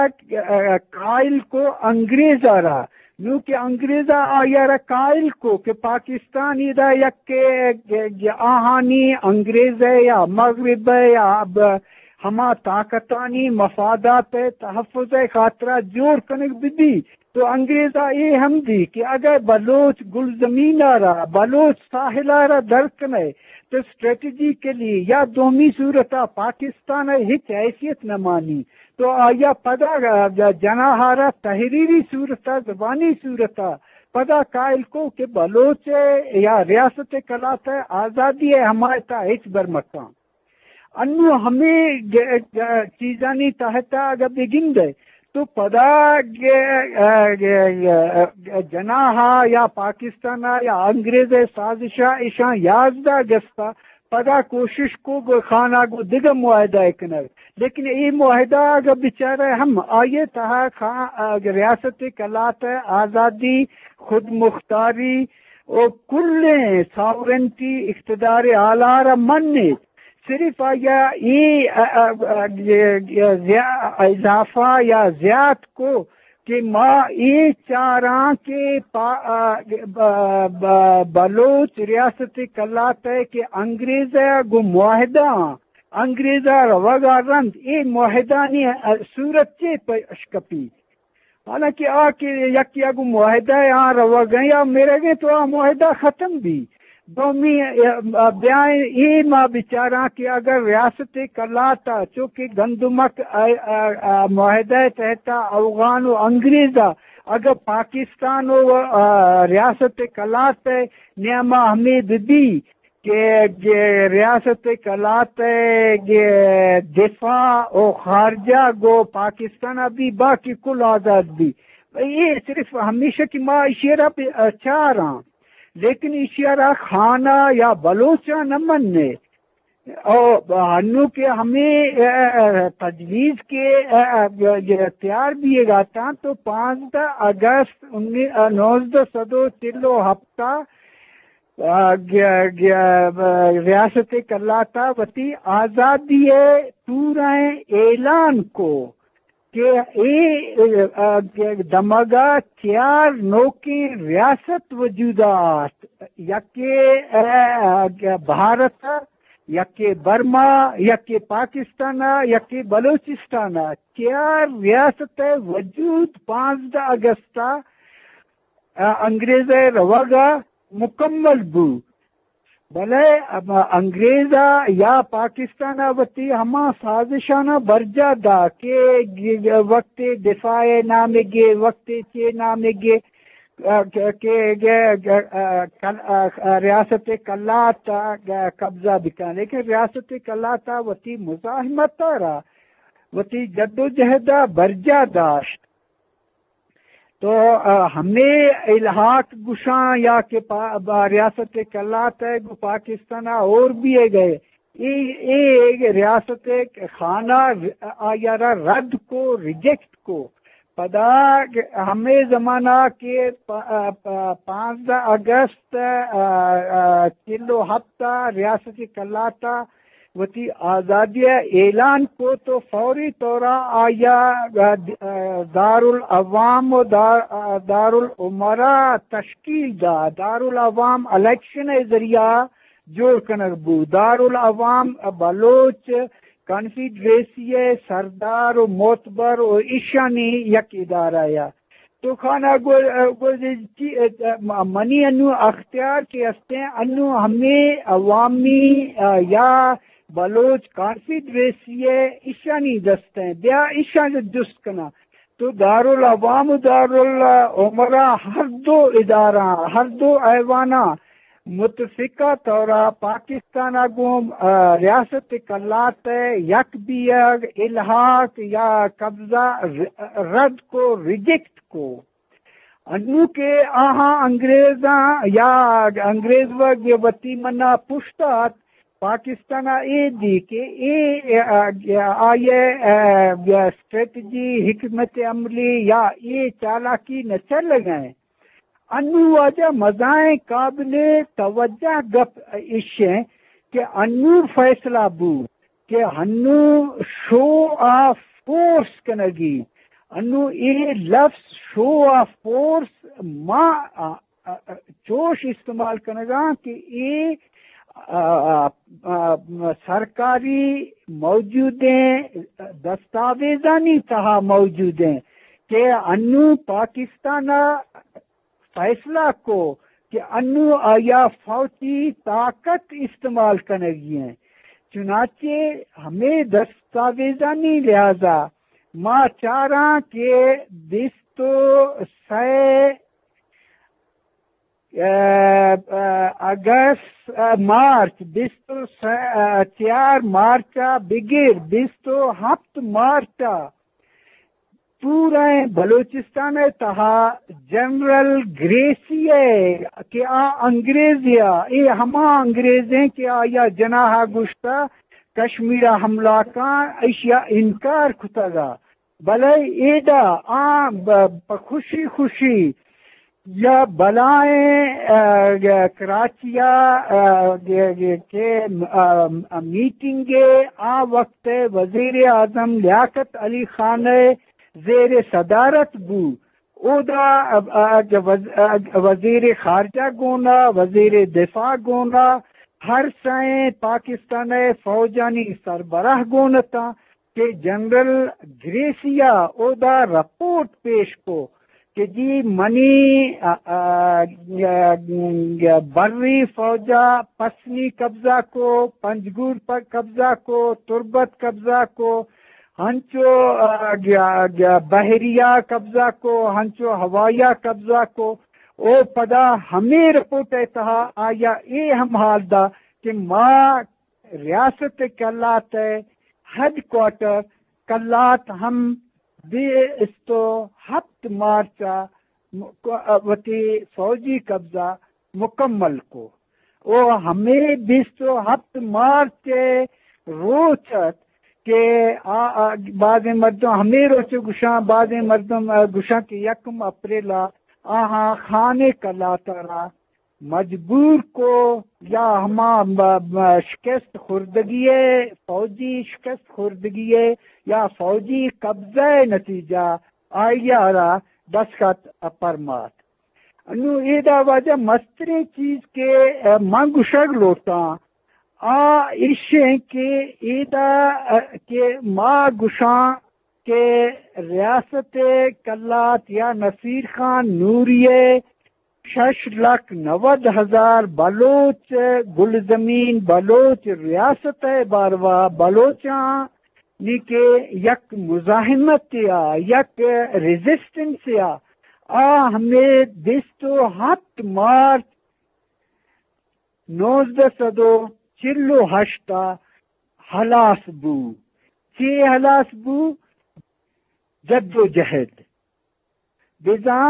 آ، قائل کو انگریز ءَ را۔ نوں کہ انگریز ءَ آیا را قائل کو کہ پاکستان ادا یک کہ، کہ، کہ آہانی انگریز ءِ یا مغرب ءِ یا اب ہما طاقتانی مفادات ءِ تحفظ ءِ خاطرا جوڑ کنگ بہ بی۔ تو انگریز ءَ اے ہم دی کہ اگر بلوچ گلزمین ءَ را، بلوچ ساحل ءَ را در کنئے، تو اسٹریٹجیکلی یا دومی صورت ءَ پاکستان ءِ ہچ حیثیت نہ مانی۔ تو آیا پدا جناح ءَ را تحریری صورت ءَ، زبانی صورت ءَ پدا قائل کو کہ بلوچ ءِ یا ریاست کلات ءِ آزادی ءِ حمایت ءَ ہچبر مکن۔ انوں ہمے گ-، گ-، چیزانی تحت ءَ اگہ بگندئے تو پدا گ-، گ-، گ-، جناح ءَ یا پاکستان ءَ یا انگریز ءِ سازش ءَ ایشاں یازدہ اگست ءَ پدا کوشش کو گو خان ءَ گوں دگہ معاہدہ ءَ کنگ۔ لیکن اے معاہدہ اگہ بچارئے ہم آئی ءِ تہا خان، ریاست کلات ءِ آزادی، خود مختاری و کلیں ساورنٹی، اقتدار اعلیٰ را منیت۔ صرف آیا اے، ا، ا، ا، زیا-، اضافہ یا زیات کو کہ ما اے چاراں کہ پا-، ا، ب-، ب-، بلوچ ریاست کلات ءِ کہ انگریز ءَ گوں معاہدہ آں، انگریز ءَ روگ ءَ رند اے معاہدانی صورت چے پیش کپی؟ حالانکہ آ کہ یکے ءَ گوں معاہدہ ءَ آ روگ ءَ یا مرگ ءَ تو آ معاہدہ ختم بی۔ دومی، ا، بیائیں اے ما بچاراں کہ اگر ریاست کلات ءَ چونکہ گندمک ءِ، ا، ا، ا، معاہدہ ءِ تحت ءَ اوغان و انگریز ءَ اگر پاکستان و، ا، ریاست کلات ءِ نیام ءَ ہمے بہ بی کہ، کہ ریاست کلات ءِ کہ دفاع و خارجہ گوں پاکستان ءَ بی، باقی کل آزاد بی۔ اے صرف ہمیشہ کہ ما ایشی ءَ را بہ چاراں، لیکن ایشی ءَ را خان ءَ یا بلوچ ءَ نہ منّے۔ او ہنو کہ ہمیں، اے، اے، تجویز کے، اے، اے، تیار بیے گا تاں تو پانزدہ اگست انی-، اے، نوزدہ سد و چل و ہپتا، اے، گ-، گ-، ریاست کلاتا وتی آزادی پورا اعلان کو۔ کہ اے، اے، اے، دمگا چیار نوکیں ریاست وجودا آت، یکے، اے، اے، بھارت، یکے برما، یکے پاکستان، یکے بلوچستان۔ چیار ریاست وجود پانزدہ اگستا، اے، انگریز روگا مکمل بو۔ بلے ہما انگریز ءَ یا پاکستان ءَ وتی ہما سازشاناں برجاہ دات کہ گ-، گ-، وقت دفاع نامگے، وقت چے نامگے، آ، کہ، کہ، کہ، آ، کل-، آ، ریاست کلات ءَ قبضہ بکن، لیکن ریاست کلات ءَ وتی مزاحمت ءَ را وتی جدوجہد ءَ برجاہ داشت۔ تو، آ، ہمے الحاق گشاں یا کہ پا-، با ریاست کلات ءَ گوں پاکستان ءَ اور بیے گئے، اے، اے ریاست خانہ آیارا رد کو، ریجیکٹ کو۔ پدا ہمے زمانہ کہ پ-، آ، پ-، پانزدہ اگست، آ، آ، چل و ہپت ءَ ریاست کلات ءَ وتی آزادی ءِ اعلان کو تو فوری طور ءَ آیا، آ، دارالعوام و دار-، آ، دارالعمرا تشکیل دا۔ دارالعوام الیکشن ءِ ذریعہ جوڑ کنگ بو۔ دارالعوام بلوچ کانفیڈریسی ءِ سردار و معتبر و ایشانی یک ادارہ یا تو خانہ گو-، گو-، چی-، منی انو اختیار کہ استیں، انو ہمے عوامی، آ، یا بلوچ کانفیڈریسی ءِ ایشانی دستیں، بیا ایشاں جست کناں۔ تو دارالعوام و دارالعمرا ہر دو ادارہ، ہر دو ایواناں متفقہ طورا پاکستان ءَ گوں، آ، ریاست کلات ءِ یک بیگ، الحاق یا قبضہ ر-، رد کو، ریجیکٹ کو۔ انو کہ آہاں انگریزاں یا انگریز وگ وتی منا پشت ات، پاکستان ءَ اے دی کہ اے، آ، آ، آئی ءِ، آ، اسٹریٹجی، حکمت عملی یا اے چالاکی نہ چلگ ءَ۔ انو واجہ مزائیں قابل توجہ گپ ایش ایں کہ انو فیصلہ بو کہ انو شو آف فورس کنگی۔ انو اے لفظ شو آف فورس ما، آ، آ، آ، چوش استعمال کنگاں کہ اے، آ، آ، آ، سرکاری موجودیں دستاویزانی تہا موجودیں کہ انو پاکستان ءَ فیصلہ کو کہ انو آیا فوجی طاقت استعمال کنگی ہیں۔ چنانچہ ہمے دستاویزانی لحاظا ما چاراں کہ بیست و سئے، اے، اے، اگست، اے، مارچ، بیست و سئے، اے، چیار مارچا بگر بیست و ہپت مارچا پوریں بلوچستان ءِ تہا جنرل گریسی ءَ کہ آ انگریزے ءَ، اے ہما انگریزیں کہ آیا جناح ءَ گوشتا کشمیر ءَ حملہ کن، ایشی ءَ انکار کتگ ءَ۔ بلے ایدا آ ب-، پہ خوشی خوشی یا بلائیں، آ، گ-، کراچی ءَ، آ، گ-، گ-، کہ، آ، میٹنگ ءَ آ وقت ءِ وزیر اعظم لیاقت علی خان ءِ زیر صدارت بو۔ اودا، آ، آ، وز-، آ، وزیر خارجہ گونا، وزیر دفاع گونا، ہر سئیں پاکستان ءِ فوجانی سربراہ گون اتاں۔ کہ جنرل گریسی ءَ اودا رپورٹ پیش کو کہ جی منی، آ، آ، آ، بری فوج ءَ پسنی قبضہ کو، پنجگور پر قبضہ کو، تربت قبضہ کو، ہنچو، آ، آ، بحریہ قبضہ کو، ہنچو ہوایہ قبضہ کو۔ او پدا ہمے رپورٹ ءِ تہا آیا اے ہم حال دا کہ ما ریاست کلات ءِ ہیڈ کوارٹر کلات ہم بیست و ہپت مارچ ءَ م-، کو-، وتی فوجی قبضہ مکمل کو۔ او ہمے بیست و ہپت مارچ ءِ روچ ات کہ آ، آ، بازیں مردم ہمے روچ گوشاں، بازیں مردم، آ، گوشاں کہ یکم اپریل ءَ آہاں خان قلات ءَ را مجبور کو یا ہما م-، م-، شکست خوردگی ءِ، فوجی شکست خوردگی ءِ یا فوجی قبضہ ءِ نتیجہ آئی ءَ را دستخط پرمات۔ انوں ایدا واجہ مستریں چیز کہ، آ، من گوشگ لوٹاں، آ ایشیں کہ ایدا، آ، کہ ما گوشاں کہ ریاست قلات یا نصیر خان نوری ءِ شش لکھ نود ہزار بلوچ، گلزمین بلوچ ریاست ءِ باروا بلوچاں نی کہ یک مزاحمت یا یک ریزسٹنس یا آ ہمے بیست و ہپت مارچ نوزدہ سد و چل و ہشت ءَ ہلاس بو۔ چے ہلاس بو؟ جد و جہد۔ بزاں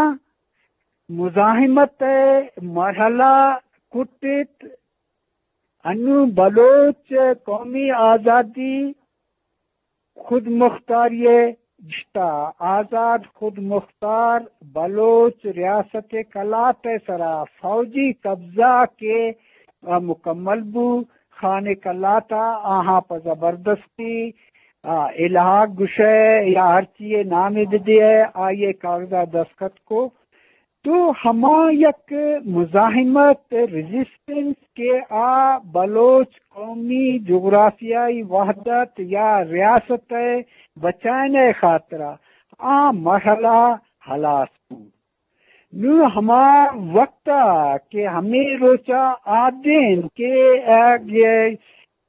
مزاحمت ءِ مرحلہ کٹت، انوں بلوچ قومی آزادی خود مختاری ءِ گشتا، آزاد خود مختار بلوچ ریاست قلات ءِ سرا فوجی قبضہ کہ مکمل بو، خان قلات ءَ آہاں پہ زبردستی، آ، الحاق گوشئے یا ہرچی ءِ نامے بدئے، آئی ءِ کاغذ ءَ دستخط کو۔ تو ہما یک مزاحمت، ریزسٹنس کہ آ بلوچ قومی جغرافیائی وحدت یا ریاست ءِ بچائن ءِ خاطرا آ مرحلہ ہلاس بو۔ نوں ہما وقت ءَ کہ ہمے روچ ءَ آدین کہ،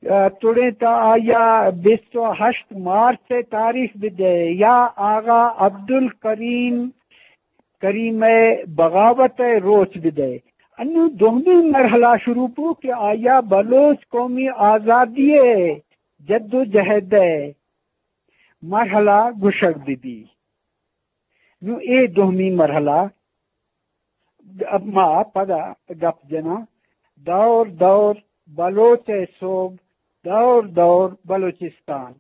آ، تڑیں تا آیا بیست و ہشت مارچ ءِ تاریخ بدئے یا آغا عبدالکریم کریم ءِ بغاوت ءِ روچ بدئے۔ انوں دومی مرحلہ شروع بو کہ آیا بلوچ قومی آزادی ءِ جد و جہد ءِ مرحلہ گوشگ بہ بی۔ نوں اے دومی مرحلہ ما پدا گپ جناں، دور دور بلوچ ءِ سوب، دور دور بلوچستان۔